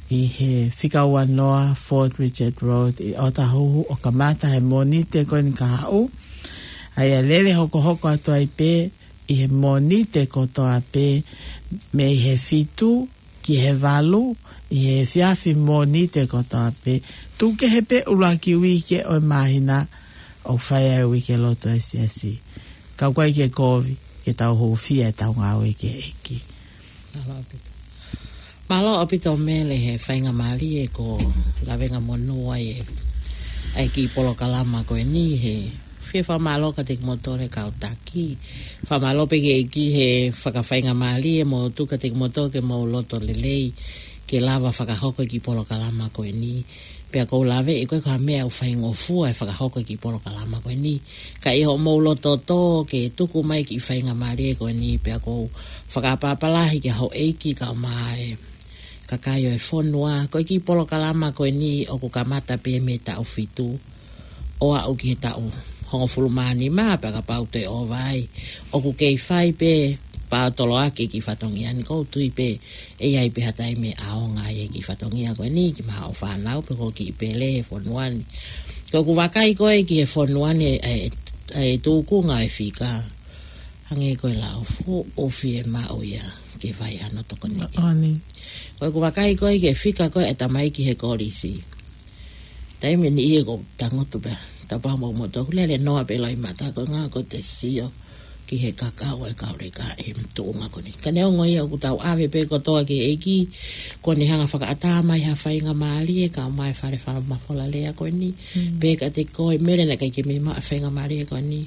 ʻi he fika ua noa Fort Richard Road ʻi ʻOtahuhu, ʻo kamata he Mōnite ko eni kahaʻu. ʻA ia lele hokohoko atu ai pē ʻi he Mōnite kotoa pē, mei he fitu ki he valu, ʻi he efiafi Mōnite kotoa pē, tuku kehe pē ʻuluaki uike ʻo e māhina, ʻoku fai ai e uike lotu ʻa e siasi. Ka ʻoku ʻikai ke kovi, ke tau hūfia ʻetau ngāue ki he ʻEiki. Mālō ʻaupito. Mālō ʻaupito Mele he faingamālie ko e lavengamonū ai e, ʻa e kiʻi polokalama ko eni he fie fakamālō kiate kimoutolu e kau taki. Fakamālō pē ki he ʻEiki he fakafaingamālie mo tuku kiate kimoutolu ke mou loto lelei ke lava fakahoko e kiʻi polokalama ko eni. Pea ʻoku ou laveʻi ko e ko ha meʻa ʻoku faingofua e fakahoko e kiʻi polokalama ko eni. Ka ʻi hoʻomou loto tō ke tuku mai e kiʻi faingamālie ko eni, pea ʻoku ou fakaʻapaʻapa lahi ki he houʻeiki kae ʻumaʻā e kakai ʻo e fonua. Ko e kiʻi polokalama ko eni ʻoku kamata pē mei he taʻu fitu ʻo aʻu ki he taʻu hongofulu mā nima, pea kapau toe ʻova ai, ʻoku kei fai pē pātoloaki e kiʻi fatongia ni. ʻOku ou tui pē ʻe ʻi ai pē ha taimi ʻe ʻaonga ai e kiʻi fatongia ko eni ki he maʻu fānau pe ko e kiʻi pele he fonua ni. Ko ʻeku vakai ko ē ki he fonua ni, e, e, e tūkunga e fika, hangē ko e lau fuʻu fiemaʻu ia ke fai hano tokoni. Moʻoni. Ko ʻeku vakai ko ē ki he fika ko ē e tamaiki he kolisi. Taimi ni ia ʻoku ou tangutu pē, tapau mo mo toku lele noa pē loʻimata ko e ngā ko ʻete sio ki he kakau e kau leka he tuʻunga ko eni. Ka neongo ia ʻoku tau ʻave pē kotoa ki he ʻEiki, ko ʻene hanga fakaʻatā mai ha faingamālie kae ʻumaʻā e fale fakamafola lea ko eni. Mm. Pehē kiate koe Mele naʻe ʻikai ke mei maʻu e faingamālie ko eni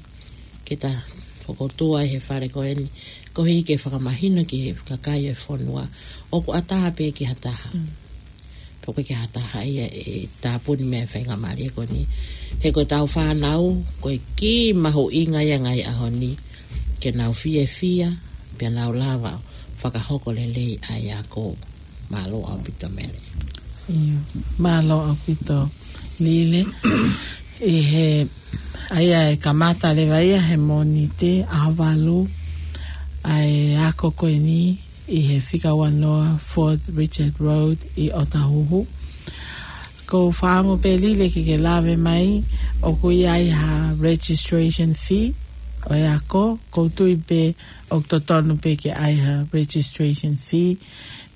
ke ta fokotuʻu ai he fale ko eni, koeʻuhi ke fakamahino ki he kakai e fonua ʻoku ʻatā pē ki ha taha. Mm. Pea ʻoku ʻikai ke ha taha ia ʻe tāpuni mei he faingamālie ko eni. He ko ʻetau fānau, ko e kiʻi mahuʻinga ia he ngaahi ʻaho ni, ke nau fiefia, pea nau lava fakahoko lelei ʻa e ako. Mālō ʻaupito Mele. ʻIo, mālō ʻaupito Lile. ʻI he, ʻa ia ʻe kamata leva ia he Mōnite ʻaho valu, ʻa e ako ko eni, ʻi he fika ua noa Fort Richard Road ʻi ʻOtahuhu. ʻOku ou fakaʻamu pē Lile ke ke lave mai, ʻoku ʻi ai ha registration fee ʻo e ako, ʻoku ou tui pē ʻoku totonu pē ke ʻi ai ha registration fee,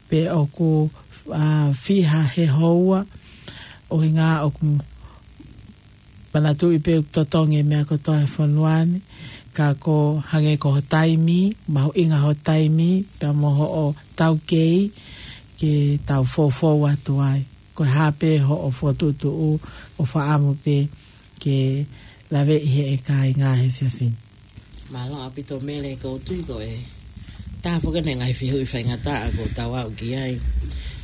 pe ʻoku, ʻa, fiha he houa, ʻuhinga ʻoku manatuʻi pē ʻoku totongi e meʻa kotoa he fonua ni, ka ko e hangē ko ho taimi, mahuʻinga ho taimi, pea mo hoʻo taukei ke tau foufou atu ai. Ko e hā pē hoʻo fokotuʻutuʻu ʻoku fakaʻamu pē ke laveʻi ʻe he kāinga he efiafi ni. Mālō ʻaupito Mele, ʻoku ou tui ko e taha foki eni e ngaahi fehuʻi faingataʻa ʻoku tau aʻu ki ai.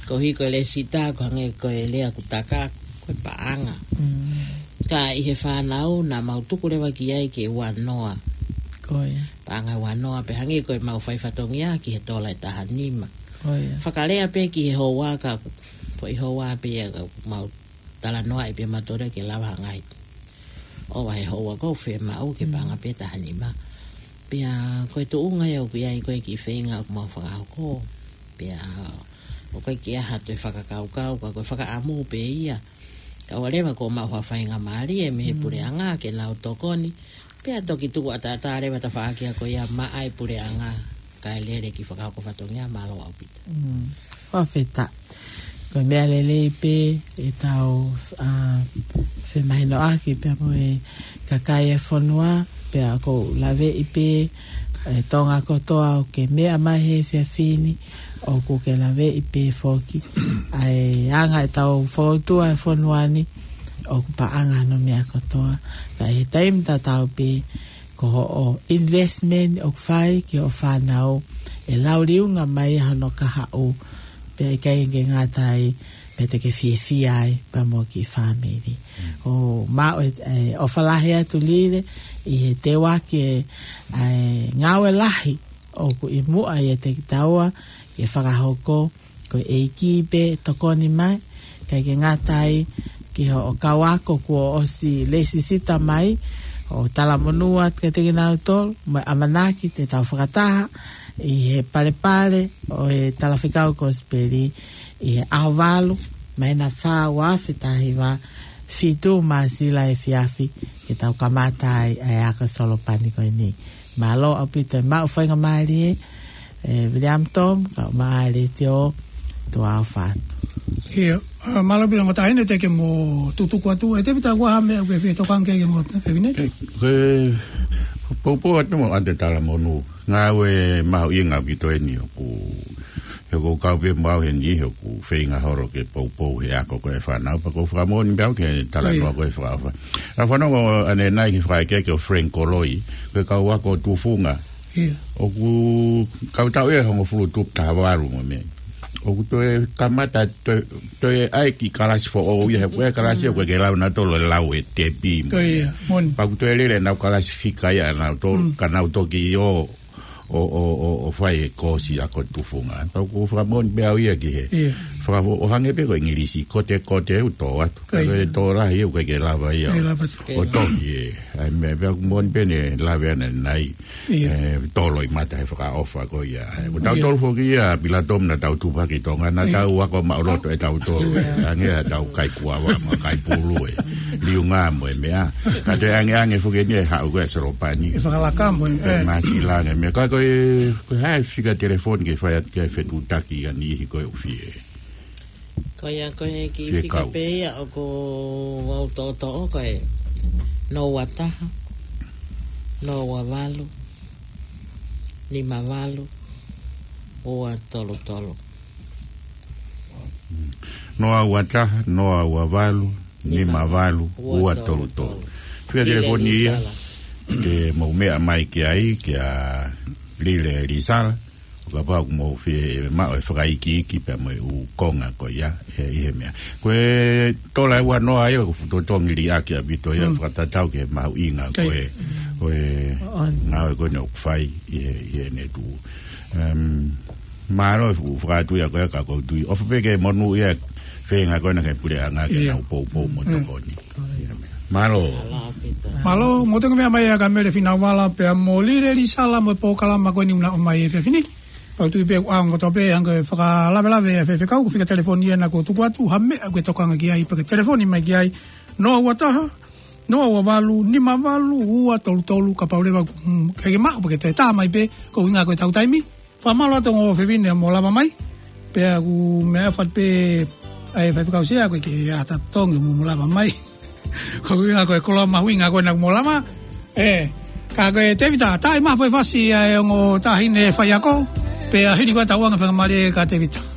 Koeʻuhi ko e lēsisita, ko e hangē ko e lea ʻoku taka, ko e paʻanga. Mm. Ka ʻi he fānau naʻa mau tuku leva ki ai ke ua noa. Ko ia. Paʻanga ua noa, pea hangē ko ʻemau fai fatongia ki he tola ʻe taha nima. Ko ia. Fakalea pē ki he houa ka, ko e houa pē ia ka mau talanoaʻi pē mautolu ke lava ha ngaahi ʻova he houa ʻoku fiemaʻu ke Mm. paʻanga pē taha nima. Pea ko e tuʻunga ia ʻoku ʻi ai ko e kiʻi feinga ʻoku mau fakahoko. Pea ʻoku ʻikai ke ʻi ai ha toe fakakaukau, ka ko e fakaʻamu pē ia. Kae ʻoua leva kuo maʻu ha faingamālie mei he Mm. puleʻanga ke nau tokoni. Ia toki tuku ʻataʻatā leva tafaʻaki ko ia maʻa e puleʻanga, kae lele ki fakahoko fatongia. Mālō ʻaupito. Mm. Fakafetaʻi. Ko e meʻa lelei pē ʻetau, ʻa, femahinoʻaki pea mo e kakai e fonua, pea ʻoku ou laveʻi pē, ʻe Tonga kotoa ʻoku ke meʻa mai he efiafi ni, ʻoku ke laveʻi pē foki ʻa e anga ʻetau fokoutua e fonua ni, ʻoku paʻanga hono meʻa kotoa. Ka ʻi he taimi tatau pē, ko hoʻo investment ʻoku fai ki hoʻo fānau, ʻe lau liunga mai hono kahaʻu, pea ʻikai ke ngata ai, pea te ke fiefia ai pea mo e kiʻi fāmili. ʻOku mau ʻe, ʻe, ʻofa lahi atu Lile, ʻi he teuaki e, ʻa e ngāue lahi ʻoku ʻi muʻa ʻiate kitaua ke fakahoko, ko e ʻEiki pē tokoni mai, ʻikai ke ngata ai ki hoʻo kau ako kuo ʻosi lēsisita mai, ʻo talamonū atu kiate kinautolu, mo e ʻamanaki te tau fakataha ʻi he Palepale ʻo e Talafekau Kosipeli ʻi he ʻaho valu, māhina fā ua afe taha hiva, fitu Māsila efiafi, ke tau kamata ai ʻa e ako Solopani ko eni. Mālō ʻaupito e maʻu faingamālie, ʻe William Tom, kae ʻumaʻā e Letiō, tuʻa ʻofa atu. Ia, ʻa, mālō pē ongo taʻahine, teʻeki ke mo tutuku atu, ʻe Tēvita, ʻoku ʻi ai ha meʻa ʻoku ke fie tokanga ki ai, ongo taʻahine? ʻE, ko e poupou atu mo ʻete talamonū. Ngāue mahuʻinga ʻaupito eni ʻoku, he ʻoku ou kau pē mo au heni, he ʻoku feinga holo ke poupou he ako ko e fānau, pea ʻoku ou fakamoʻoni pē au ki he talanoa ko e fakaʻofa. ʻA e fānau ko ʻanenai ki he fakaʻekeʻeke ʻo Frank Koloi, ko e kau ako tufunga. Ia. ʻOku kau tau ʻe hongofulu tupu taha valu mo e meʻa. ʻOku toe kamata toe, toe ʻai ki kalasi foʻou ia, he ko e kalasi ʻoku ʻikai ke lau nautolu e lau e tepi mo e meʻa. Ko ia, moʻoni. Pea ʻoku toe lele ʻenau kalasi fika ia ʻanautolu, ka nau toki ō, ʻo, ʻo, ʻo, ʻo fai e kosi ako tufunga. Pea ʻoku ou fakamoʻoni pē au ia ki he. Ia. Fakafo-, ʻo hangē pē ko e ʻIngilisi, kote, kote, ʻoku tō atu. Ko ia. Ka ko e tō lahi, ʻoku ʻikai ke lava ia. ʻIkai lava. ʻO toki, ē. ʻA e meʻa pea ʻoku moʻoni pē ne lave ʻanenai. Ia. ʻE, tō loʻimata he fakaʻofa ko ia. ʻE, ʻoku tautolu foki ia, Pilato, naʻa tau tupu hake ʻi Tonga, naʻa tau ako maʻuloto ʻe tautolu. Ia. Hangē ha tau kaikuava mo kaipulu ē. Liunga mo e meʻa. Ka toe angeange foki eni e haʻu ko e Solopani. ʻE fakalaka mo e, ʻE ē. Māsila ange meʻa. Ka ko e, ko e hā e fika telefoni ke fai atu ki ai e fetuʻutaki ʻa e niʻihi ko e ʻoku fie. Ko ia ko e kiʻi fie fika kau. Pē ia ʻoku ou toʻotoʻo ko e noa ua taha, noa ua valu, nima valu, ua tolu tolu. Noa ua taha, noa ua valu, nima valu, ua tolu tolu. Fika telefoni ia, ke mou meʻa mai ki ai, kia Lile Lisala, ʻo kapau ʻoku mou fie maʻu e fakaikiiki pea mo e ʻū konga ko ia, ʻe, ʻi he meʻa. Ko e tola ʻe ua noa ia, ʻoku fuʻu totongi liʻaki ʻaupito ia, fakatatau ki he mahuʻinga ko e, ko e ngāue ko eni ʻoku fai ʻi he, ʻi heʻene tuʻu. Em, mālō e fuʻu fakatui ʻa ko e ka kou tui. ʻOfa pē ke monūʻia e feinga ko ena ki he puleʻanga ke nau poupou mo tokoni. Mālō. Mālō, mo te meʻa mai ʻa Kamele Finauala pea mo Lile Lisala mo e polokalama ko eni ʻoku na ʻomai he efiafi ni. Pea ʻoku ou tui pē ʻoku ʻaonga kotoa pē, hangē ko e fakalavelave ʻa e faifekau, ko e fika telefoni ena kuo tuku atu, ha meʻa ʻoku ke tokanga ki ai, pea ke telefoni mai ki ai, noa ua taha, noa ua valu, nima valu, ua tolu tolu, kapau leva ʻoku, mm, ʻikai ke maʻu, pea ke toe tā mai pē, ko e ʻuhinga ko e tau taimi. Fakamālō atu ongo fefine mo lava mai. Pea ʻoku meʻa fat pē ʻa e faifekau Sea ko e ke ata tongi mo, mo lava mai. Ko e ʻuhinga ko e koloa mahuʻinga ko ena mo lava. ʻE, ka ko e Tēvita, tā e mafu e fasi ʻa e ongo taʻahine faiako. Pea hili ko e tau anga fakamālō kia Tēvita.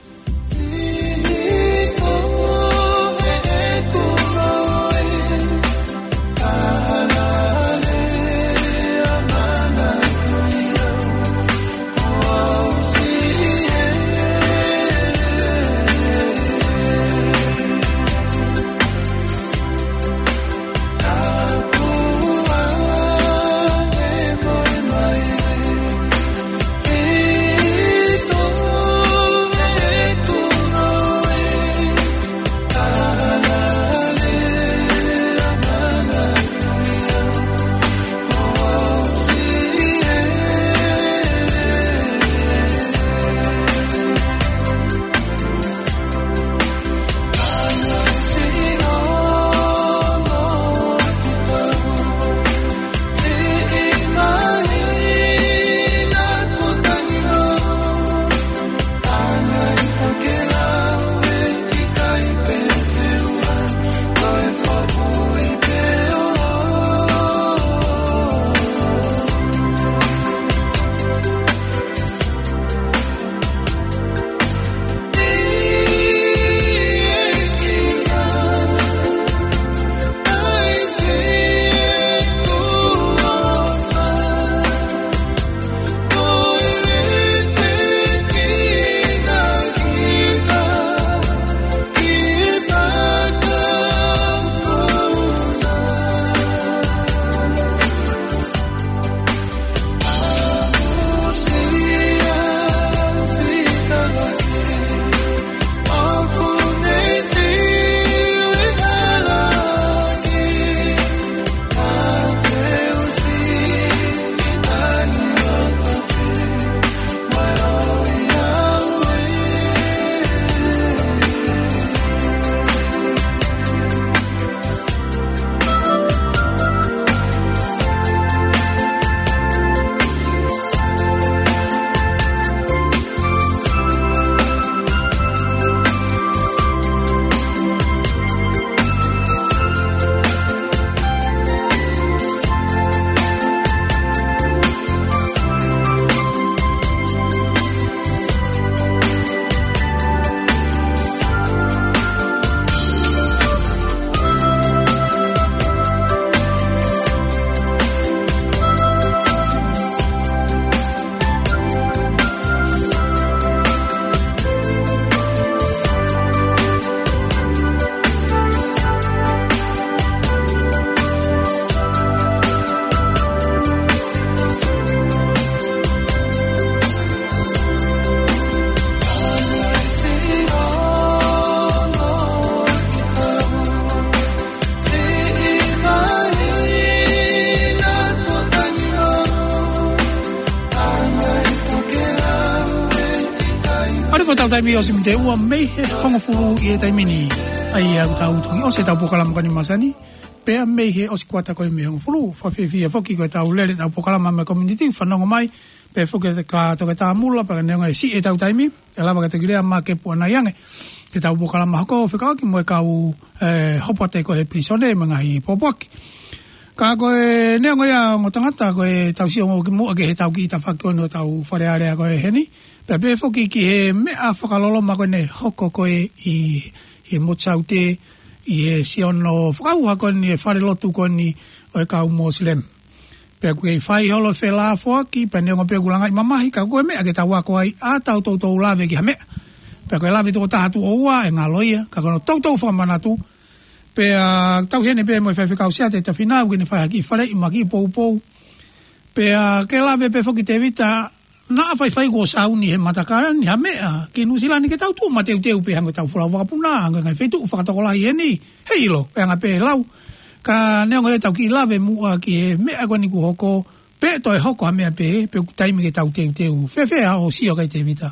Vio si mite ua mei he hongofulu ʻi he taimi ni. ʻA ia ʻoku tau toki ʻosi ʻetau polokalama ko eni masani. Pea mei he ʻosi kuata ko ē mei he hongofulu. Fakafiefia foki ko ʻetau lele ʻetau polokalama mei he community, fanongo mai. Pea foki kia Toketā Mula, pea neongo e siʻi ʻetau taimi, ʻe lava ke toki lea mai ke puanai ange. Ke tau polokalama hoko, fekauʻaki mo e kau, ē, hopoate ko ē he pilīsone, mo e ngaahi pōpoaki. Ka ko e neongo ia ongo tangata, ko ʻetau sio ange ki muʻa ki heʻetau kiʻi tafaʻaki ko eni ʻo ʻetau Fale Alea ko ē heni. Pea pehē foki ki he meʻa fakaloloma ko eni ʻe hoko ko ē ʻi, ʻi he motu Saute, ʻi he siʻono fakaʻauha ko eni e falelotu ko eni ʻo e kau Mosilemi. Pea ʻoku kei fai holo e felāfoaki, pea neongo pē ʻoku langaʻi mamahi, ka ko e meʻa ke tau ako ai, ʻa tau toutou lave ki ha meʻa. Pea ko e lave toko taha tuʻo ua, ʻe ngalo ia, ka ko hono toutou fakamanatu. Pea tau heni pē mo e faifekau Siate Tafinau, ke ne fai ha kiʻi faleʻi mo ha kiʻi poupou. Pea ke lave pē foki Tēvita, naʻa faifai kuo sauni he matakala ni ha meʻa, ki Nuʻusila ni ke tau tuʻu mateuteu pē hangē ko ʻetau folau vakapuna, hangē ko e ngaahi feituʻu fakatokolahi heni, heiʻilo, pea anga pē lau. Ka neongo ia tau kiʻi lave muʻa ki he meʻa ko eni kuo hoko, pe toe hoko ha meʻa pē, pe ʻoku taimi ke tau teuteu. Fēfē hoʻo sio ki ai Tēvita?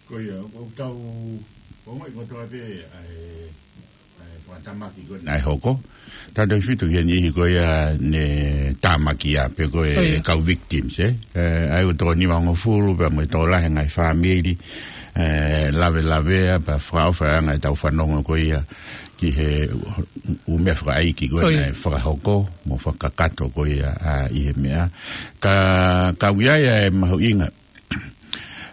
Ko ia, ʻoku tau, ʻoku ongoʻi kotoa pē, ʻa e, ʻa e fakatamaki ko ē naʻe hoko. Tautautefito ki he niʻihi ko ia ne tāmakia pe ko e Ko ia. kau victims, ē. Ē, ʻa ia ʻoku toko nimangofulu pea mo e tokolahi e ngaahi fāmili, ē, lavelavea, pea fakaʻofa e anga ʻetau fanongo ko ia ki he ʻū meʻa fakaʻeiki ko ē Ko ia. naʻe fakahoko, mo fakakakato ko ia, ā, ʻi he meʻa. Ka, ka ʻoku ʻi ai e mahuʻinga,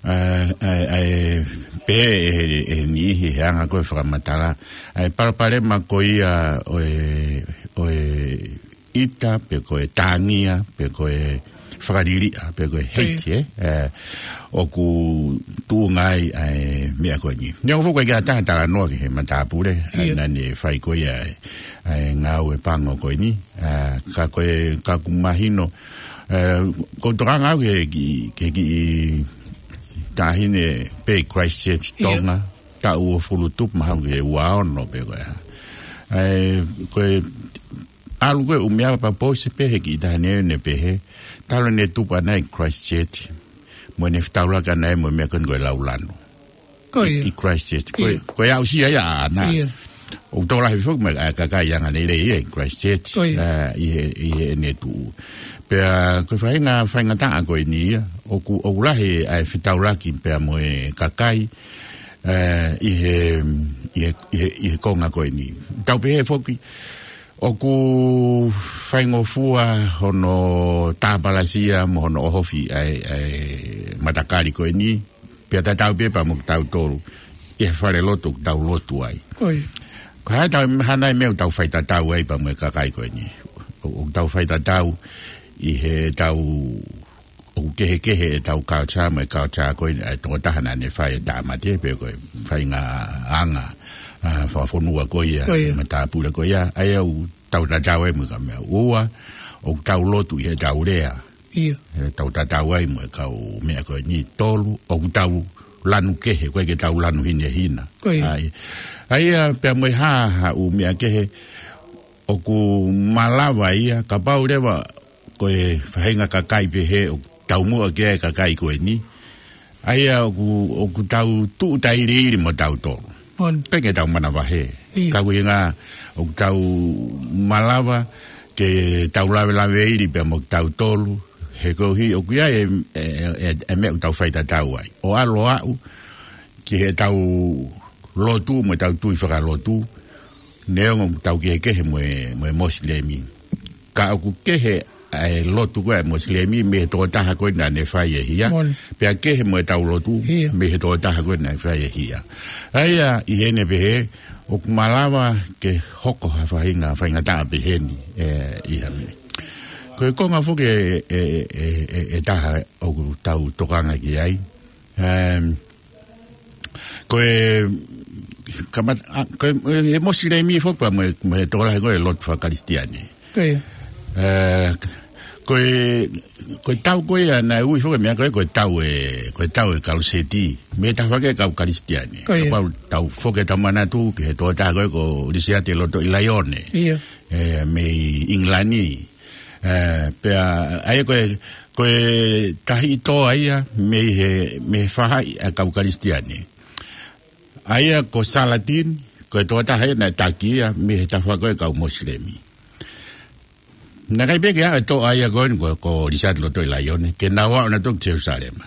ā, ʻa e, ʻa e, pehē ʻe he, ʻe he niʻihi he anga ko ē fakamatala, ʻa e palopalema ko ia ʻo e, ʻo e ʻita, pe ko e tāngia, pe ko e fakaliliʻa, pe ko e Ko ia. hate, ē? Ē, ʻoku tuʻunga ai ʻa e meʻa ko eni. Neongo foki ʻoku ʻikai ke ʻi ai ha taha talanoa ki he matāpule, ʻa Ia. naʻa ne fai ko ia ʻa e, ʻa e ngāue pango ko eni. Ā, ka ko e, ka ʻoku mahino, ē, ʻoku ou tokanga au ki he kiʻi, ki he kiʻi taʻahine pē Christchurch Ia. Tonga, taʻu uofulu tupu mahalo ki he ua ono pe ko e hā. Ē, ko e ʻalu ko ē ʻū meʻa pea pō se pehē ki he taʻahine ne pehē, talu ʻene tupu ʻana ʻi Christchurch, mo ʻene fetaulaki ʻana ia mo e meʻa ko eni ko e laulanu. Ko ia. ʻI Christchurch. Ko e, Ia. ko e aʻusia ia ʻaʻana. Ia. ʻOku tokolahi foki mo e kakai anga lelei ia ʻi Christchurch, Ko ia. ā, ʻi he, ʻi heʻene tuʻu. Pea ko e faʻahinga faingataʻa ko eni ia, ʻoku, ʻoku lahi ʻa e fetaulaki pea mo e kakai, ā, ʻi he, ʻi he, ʻi he, ʻi he konga ko eni. Tau pehē foki, ʻoku faingofua hono tāpalasia mo hono ʻohofi ʻa e, ʻa e matakali ko eni, pea tatau pē pea mo kitautolu, ʻi he falelotu ʻoku tau lotu ai. Ko ia. Ko e hā ʻetau, hā nai e meʻa ʻoku tau faitatau ai pea mo e kakai ko eni. ʻO, ʻoku tau faitatau ʻi heʻetau, ʻoku kehekehe ʻetau culture mo e culture ko eni ʻa e tokotaha naʻa ne fai e tāmate pe ko e faʻahinga anga, ā, fakafonua ko ia, Ko ia. matāpule ko ia, ʻa ia ʻoku tau tatau ai mo e kau meʻa. Ua, ʻoku tau lotu ʻi heʻetau lea. Ia. ʻE tau tatau ai mo e kau meʻa ko eni. Tolu, ʻoku tau lanu kehe, ʻoku ʻikai ke tau lanu hinehina. Ko ia. ʻA ia, ʻa ia pea mo e hā ha ʻū meʻa kehe, ʻoku malava ia, kapau leva ko e faʻahinga kakai pehē, ʻoku taumuʻa ki ai e kakai ko eni. ʻA ia ʻoku, ʻoku tau tuʻu tailiili mo tautolu. On. ʻIkai ke tau manavahē. Ia. Ka ʻuhinga ʻoku tau malava ke tau lavelaveili pea mo tautolu. He koeʻuhi ʻoku ʻi ai e, e, e, e meʻa ʻoku tau faitatau ai. ʻO ʻalu ʻo aʻu ki heʻetau lotu mo ʻetau tui fakalotu. Neongo ʻoku tau kehekehe mo e, mo e Mosilemi. Ka ʻoku kehe ʻa e lotu ko ē ʻa e Mosilemi mei he tokotaha ko ē naʻa ne fai e hia. Mole. Pea kehe mo ʻetau lotu Ia. mei he tokotaha ko ē naʻe fai e hia. ʻA ia ʻi heʻene pehē, ʻoku malava ke hoko ha faʻahinga faingataʻa pehē ni, ē, ʻi ha meʻa. Ko e konga foki ʻe, ʻe, ʻe, ʻe, ʻe taha ʻoku tau tokanga ki ai. Em, ko e, kamat-, ʻa, ko e, e Mosilemi foki pea mo e, mo e tokolahi ko ē lotu fakakalisitiane. Ko ia. Ē, ko e, ko e tau ko ia naʻe ui foki e meʻa ko ē, ko e tau e, ko e tau e kaluseti. Mei he tafaʻaki e kau Kalisitiane. Ko ia. Kapau tau foki ʻetau manatu ki he tokotaha ko ē ko Lisiate Lotoʻilaione. Ia. Ē, mei ʻIngilani. Ē, pea, ʻa ia ko e, ko e tahi ʻi toa ia, mei he, mei he faʻahi ʻa e kau Kalisitiane. ʻA ia ko Salatin, ko e tokotaha ia naʻe taki ia mei he tafa ko ē kau Mosilemi. Naʻe ʻikai pē ke aʻu e toʻa ia ko eni ko, ko Lisati Lotoʻilaione, ke nau aʻu nautolu ki Selusalema.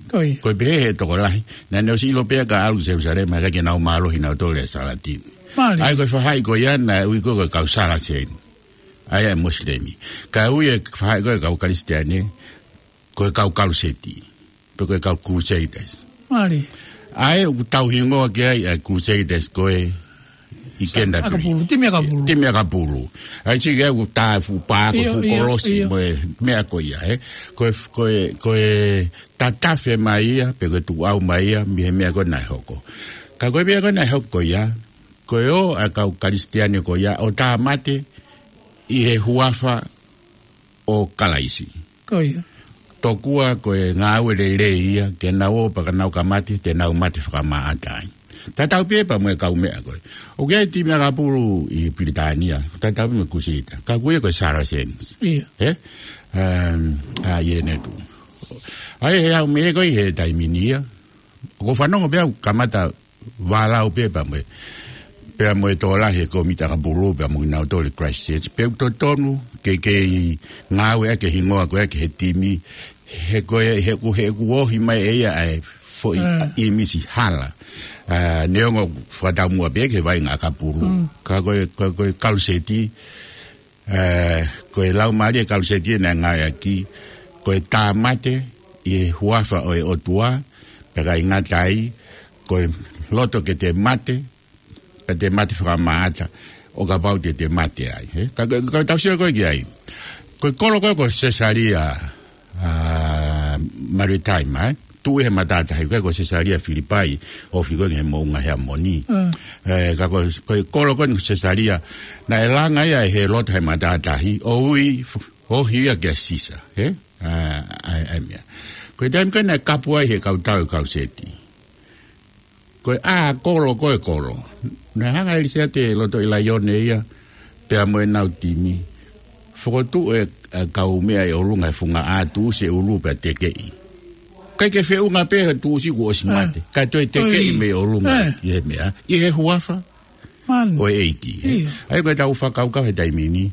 Ko ia. Ko e pehē ʻe he tokolahi, naʻa ne ʻosi ʻilo pē ka ʻalu ki Selusalema, ʻikai ke nau mālohi nautolu ʻia Salatin. Mālie. ʻA ia ko e faʻahi ko ia naʻe ui ko ē ko e kau Salaseni. ʻA ia ʻa e Mosilemi. Kae ui e faʻahi ko ē kau Kalisitiane, ko e kau Kaluseti. Pe ko e kau Crusaders. Mālie. ʻA ia ʻoku tauhingoa ki ai ʻa e Crusaders ko ē ʻi Sa-, Canterbury. ʻAkapulu, timi ʻakapulu. Timi ʻakapulu. ʻA ia sike ʻoku tā fuʻu pā ko ʻIo, fuʻu ʻio, kolosi ʻio. mo e meʻa ko ia, ē. Ko e, ko e, ko e tatafe mai ia, pe ko e tuʻu mai ia, mei he meʻa ko ē naʻe hoko. Ka ko e meʻa ko ē naʻe hoko ko ia, ko e ō ʻa e kau Kalisitiane ko ia, ʻo tāmate ʻi he huafa ʻo Kalaisi. Ko ia. Tokua ko e ngāue lelei ia, ke nau ō pea ka nau ka mate, te nau mate fakamāʻata ai. Tatau pē pea mo e kau meʻa ko ē. ʻOku ʻi ai e timi ʻakapulu ʻi Pilitānia, tatau pē mo e Crusader. Ka ko ia ko e Saracens. Ia. Ē? Um, ʻa ia ʻene tuʻu. ʻA ia he ʻaho meʻa ko ē he taimi ni ia. ʻOku ou fanongo pē au kamata vālau pē pea mo e, pea mo e tokolahi he kōmiti ʻakapulu, pea mo kinautolu ʻi Christchurch, pe ʻoku totonu ke, ke ngāueʻaki e hingoa ko ē ki he timi, he ko e, he ʻoku, he ʻoku ohi mai ʻe ia ʻa e foʻi Mm. ʻīmisi hala. ʻA, neongo fakataumuʻa pē ki he vaʻinga ʻakapulu. Mm. Ka ko e, ko e, ko e Kaluseti, ʻa, ko e laumālie Kaluseti naʻe ngāueʻaki, ko e tāmate ʻi he huafa ʻo e ʻOtua, pea ʻikai ngata ai, ko e loto ke te mate, pea te mate fakamāʻata, ʻo kapau te te mate ai, ē? Ka, ka, ka tau sio ko ē ki ai. Ko e kolo ko ē ko Sesalia, ʻa, Maritima, ē? Tuʻu he matātahi ko ē ko Sesalia Filipai, ofi ko ē ki he moʻunga Heamoni. Mm. Ē, ka ko, ko e kolo ko ē ko Sesalia, naʻe langa ia ʻe Helota he matātahi, ʻo ui, f-, ohi ia kia Sisa, ē? ʻA, ʻa, ʻa e meʻa. Ko e taimi ko ē naʻe kapu ai he kau tau e Kaluseti. Ko e ʻā kolo, ko e kolo. Naʻe hanga ʻe Lisati Lotoʻilaione ia, pea mo ʻenau timi. Fokotuʻu e, e kau meʻa ʻi ʻolunga he funga ʻā, tuʻusi e ʻulu pea tekeʻi. ʻIkai ke feʻunga pē he tuʻusi kuo ʻosi Eh. mate. Kae toe tekeʻi Oi. mei ʻolunga Eh. ʻi he meʻa. ʻI he huafa Man. ʻo e ʻEiki, ē? ʻIo. ʻA ia ko ʻetau fakakaukau he taimi ni,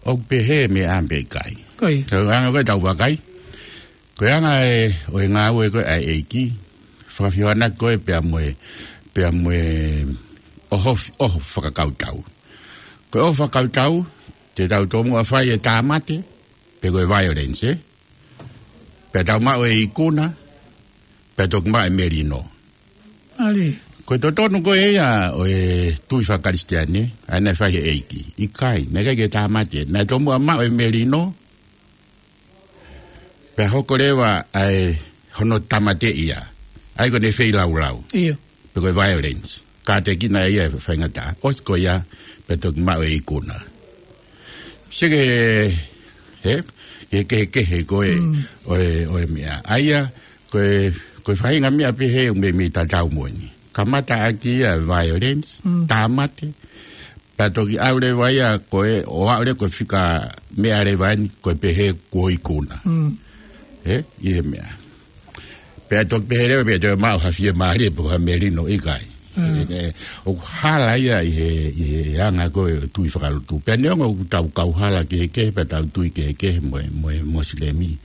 ʻoku pehē meʻa pe ʻikai. Ko ia. Ko e anga ko ē ʻetau vakai. Ko e anga ē ʻo e ngāue ko ē ʻa e ʻEiki, fakafehoanaki ko ē pea mo e, pea mo e ʻoho, ʻoho fakakautau. Ko e ʻoho fakakautau, te tau tomuʻa fai e tāmate, pe ko e violence, ē? Pea tau maʻu e ikuna, pea toki maʻu e melino. ʻAli. Ko e totonu ko ē ia ʻo e tui faka-Kalisitiane, ʻa ia naʻe fai he ʻEiki. ʻIkai, naʻe ʻikai ke tāmate. Naʻe tomuʻa maʻu e melino, pea hoko leva ʻa e hono tāmateʻi ia. ʻA ia ko ʻene feilaulau. ʻIo. Pe ko e violence. Kātekina ia e faingataʻa. ʻOsi ko ia, pea toki maʻu e ikuna. Sike he, he, he kehekehe ko ē, Mm. ʻo e, ʻo e meʻa. ʻA ia, ko e, ko e faʻahinga meʻa pehē ʻoku meimei tatau mo eni. Kamata ʻaki ia e violence, Mm. tāmate, pea toki ʻalu leva ia ko ē, ʻo aʻu leva ko e fika meʻa leva eni, ko e pehē kuo ikuna. Mm. Ē, ʻi he meʻa. Pea toki pehē leva, pea toe maʻu ha fiemālie pe ko ha melino ʻikai. Mm. Ē, ē, ʻoku hala ia ʻi he, ʻi he anga ko ē ʻo e tui fakalotu. Pea neongo ʻoku tau kauhala kehekehe, pea tau tui kehekehe mo e, mo e Mosilemi.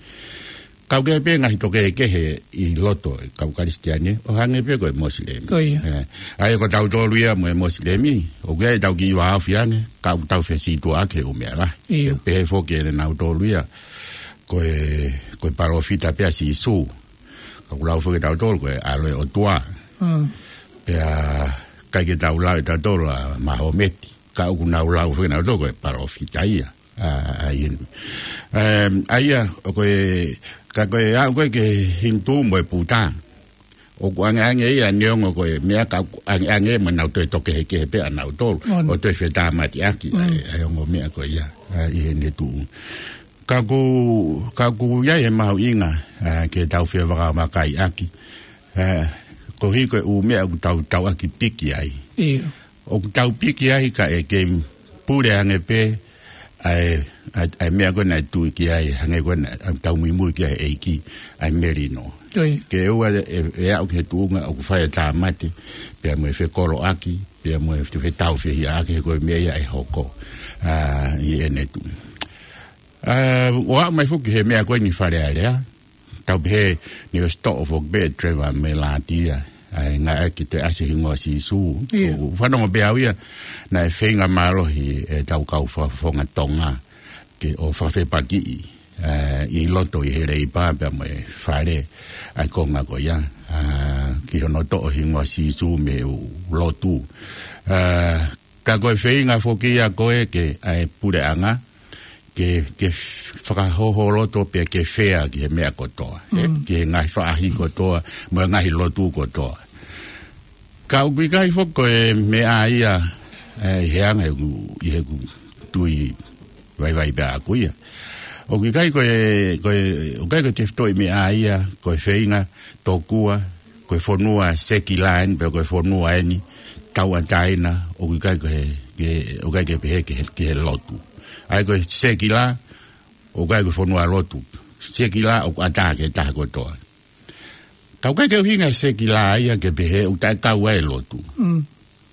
Kau kehe pē ngaahi tō kehekehe ʻi loto e kau Kalisitiane, ʻo hangē pē ko e Mosilemi. Ko ia. Ē, ʻa ia ko tautolu ia mo e Mosilemi, ʻoku ʻi ai ʻetau kiʻi vāofi ange, ka ʻoku tau fesītuʻaʻaki he ʻū meʻa lahi. ʻIo. Pehē foki ʻe nautolu ia, ko e, ko e palōfita pē ʻa Sīsū. Ka ʻoku lau foki ʻe tautolu ko e ʻAlo ʻo e ʻOtua. Mm. Pea ʻikai ke tau lau ʻe tautolu ʻa Mahometi. Ka ʻoku nau lau foki ʻe nautolu ko e palōfita ia. ʻA, ʻa ia. Em, ʻa ia, ʻo ko e, ka ko e aʻu ko ē ki he Hinitū mo e Puta. ʻOku ʻangeʻange ia neongo ko e meʻa ka ʻoku ʻangeʻange mo nau toe tō kehekehe pē ʻa nautolu. On. ʻO toe fetāmateʻaki, Mm. ʻa e, ʻa e ongo meʻa ko ia, ʻa, ʻi heʻene tuʻu. Ka ʻoku, ka ʻoku ʻi ai e mahuʻinga, ʻa, ke tau fie vakavakaiʻaki. ʻA, koeʻuhi ko e ʻū meʻa ʻoku tau tauʻaki piki ai. ʻIo. ʻOku tau piki ai kae kei pule ange pē, ʻa e, ʻa e, ʻa e meʻa ko ē naʻe tui ki ai, hangē ko ē naʻa tau muimui ki ai ʻEiki, ʻa e melino. Ke ʻoua ʻe, ʻe aʻu ki he tuʻunga ʻoku fai e tāmate, pea mo e fekoloʻaki, pea mo e fe-, fetaufehiʻaki, he ko e meʻa ia ʻe hoko, ʻa, ʻi ʻene tuʻu. ʻA, ʻo aʻu mai foki he meʻa ko eni Fale Alea, tau pehē ni o sitoʻo foki pē Trevor Melati ia, ʻa e ngāueʻaki e ʻasi e hingoa Sīsū. ʻOku fanongo pē au ia, naʻe feinga mālohi ʻetau kau fakafofonga Tonga, ke ʻo fakafepakiʻi, ʻa, ʻi loto ʻi he Leipa pea mo e Fale, ʻa e konga ko ia, ʻa, ki hono toʻo hingoa Sīsū mei he lotu. ʻA, ka ko e feinga foki ia ko ē ke, ʻa e puleʻanga, ke, ke fakahoholoto pea ke fea ki he meʻa kotoa, ʻe, ki he ngaahi faʻahi kotoa, mo e ngaahi lotu kotoa. Ka ʻoku ʻikai foki ko e meʻa ia, ʻe, ʻi he anga ʻeku, ʻi heʻeku tui vaivai pē ʻaʻaku ia. ʻOku ʻikai ko e, ko e, ʻoku ʻikai ko e tefitoʻi meʻa ia, ko e feinga, tokua, ko e fonua sekila eni, pe ko e fonua eni, tauʻatāina, ʻoku ʻikai ko e, ke, ʻoku ʻikai ke pehē ki he, ki he lotu. ʻA ia ko e sekila, ʻoku ʻikai ko e fonua lotu. Sekila, ʻoku ʻatā ki he taha kotoa. Ka ʻoku ʻikai ke ʻuhinga e sekila ia ke pehē ʻoku taʻekau ai e lotu.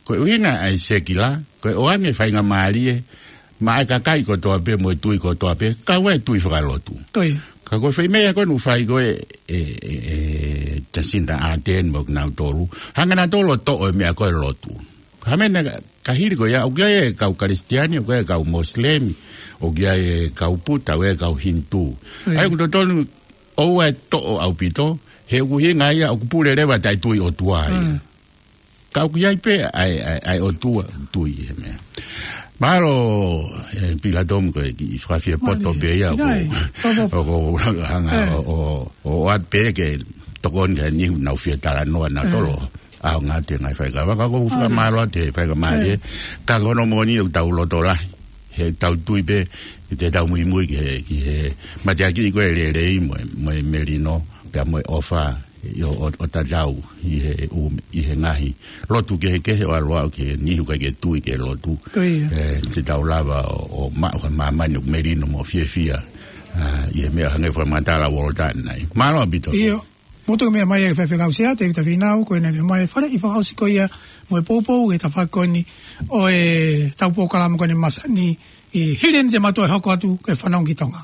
Ko e ʻuhinga ʻa e sekila, ko e ʻoange faingamālie, maʻa e kakai kotoa pē, mo e tui kotoa pē, kau ai e tui fakalotu. Ka ko e foʻi meʻa ko ē naʻe fai ko ē, ʻe, ʻe, ʻe Jacinda Ardern mo kinautolu, hanga nautolu ʻo toʻo e meʻa ko e lotu. Hā meʻa naʻe, ka hili ko ia, ʻoku ʻi ai e kau Kalisitiane, ʻoku ʻi ai e kau Mosilemi, ʻoku ʻi ai e kau Puta, ʻoku ʻi ai e kau Hinitū. ʻA ia ʻoku totonu, ʻoua ʻe toʻo ʻaupito, he ʻoku ʻuhinga ia, ʻoku pule leva taʻetui ʻOtua ia. Ka ʻoku ʻi ai pē ʻa e, ʻa e, ʻa e ʻOtua tui he meʻa. Mālō, ʻe, Pilato mo e kiʻi fakafiepoto pē ia, ʻoku ou hanga ʻo, ʻo, ʻo ʻoatu pē ke tokoni ki he niʻihi naʻa nau fie talanoa nautolu. ʻAonga atu e ngaahi faikava, ka ʻoku ou fakamālō atu he faikava mālie. Ka ko hono moʻoni ʻoku tau loto lahi. He tau tui pē, ʻi heʻetau muimui ki he, ki he mateaki ko e lelei mo e, mo e melino, pea mo e ʻofa, ʻo, ʻo, ʻo tatau ʻi he ʻū, ʻi he ngaahi lotu kehekehe ʻo ʻalu ʻo aʻu ki he niʻihi ʻoku ʻikai ke tui ki he lotu. ʻE, te tau lava ʻo, ʻo maʻu ha māmani ʻoku melino mo fiefia, ʻa, ʻi he meʻa hangē ko e fakamatala ʻa Walter ʻanenai. Mālō ʻaupito. Motu meʻa mai e faifekau Sea Tēvita Fīnau, ko ʻene meʻa mai e faleʻi fakaʻosi ko ia mo e poupou he tafaʻaki ko eni ʻo ʻetau polokalama ko eni Masani, ʻi he hili eni te mou toe hoko atu ke fanongo ki Tonga.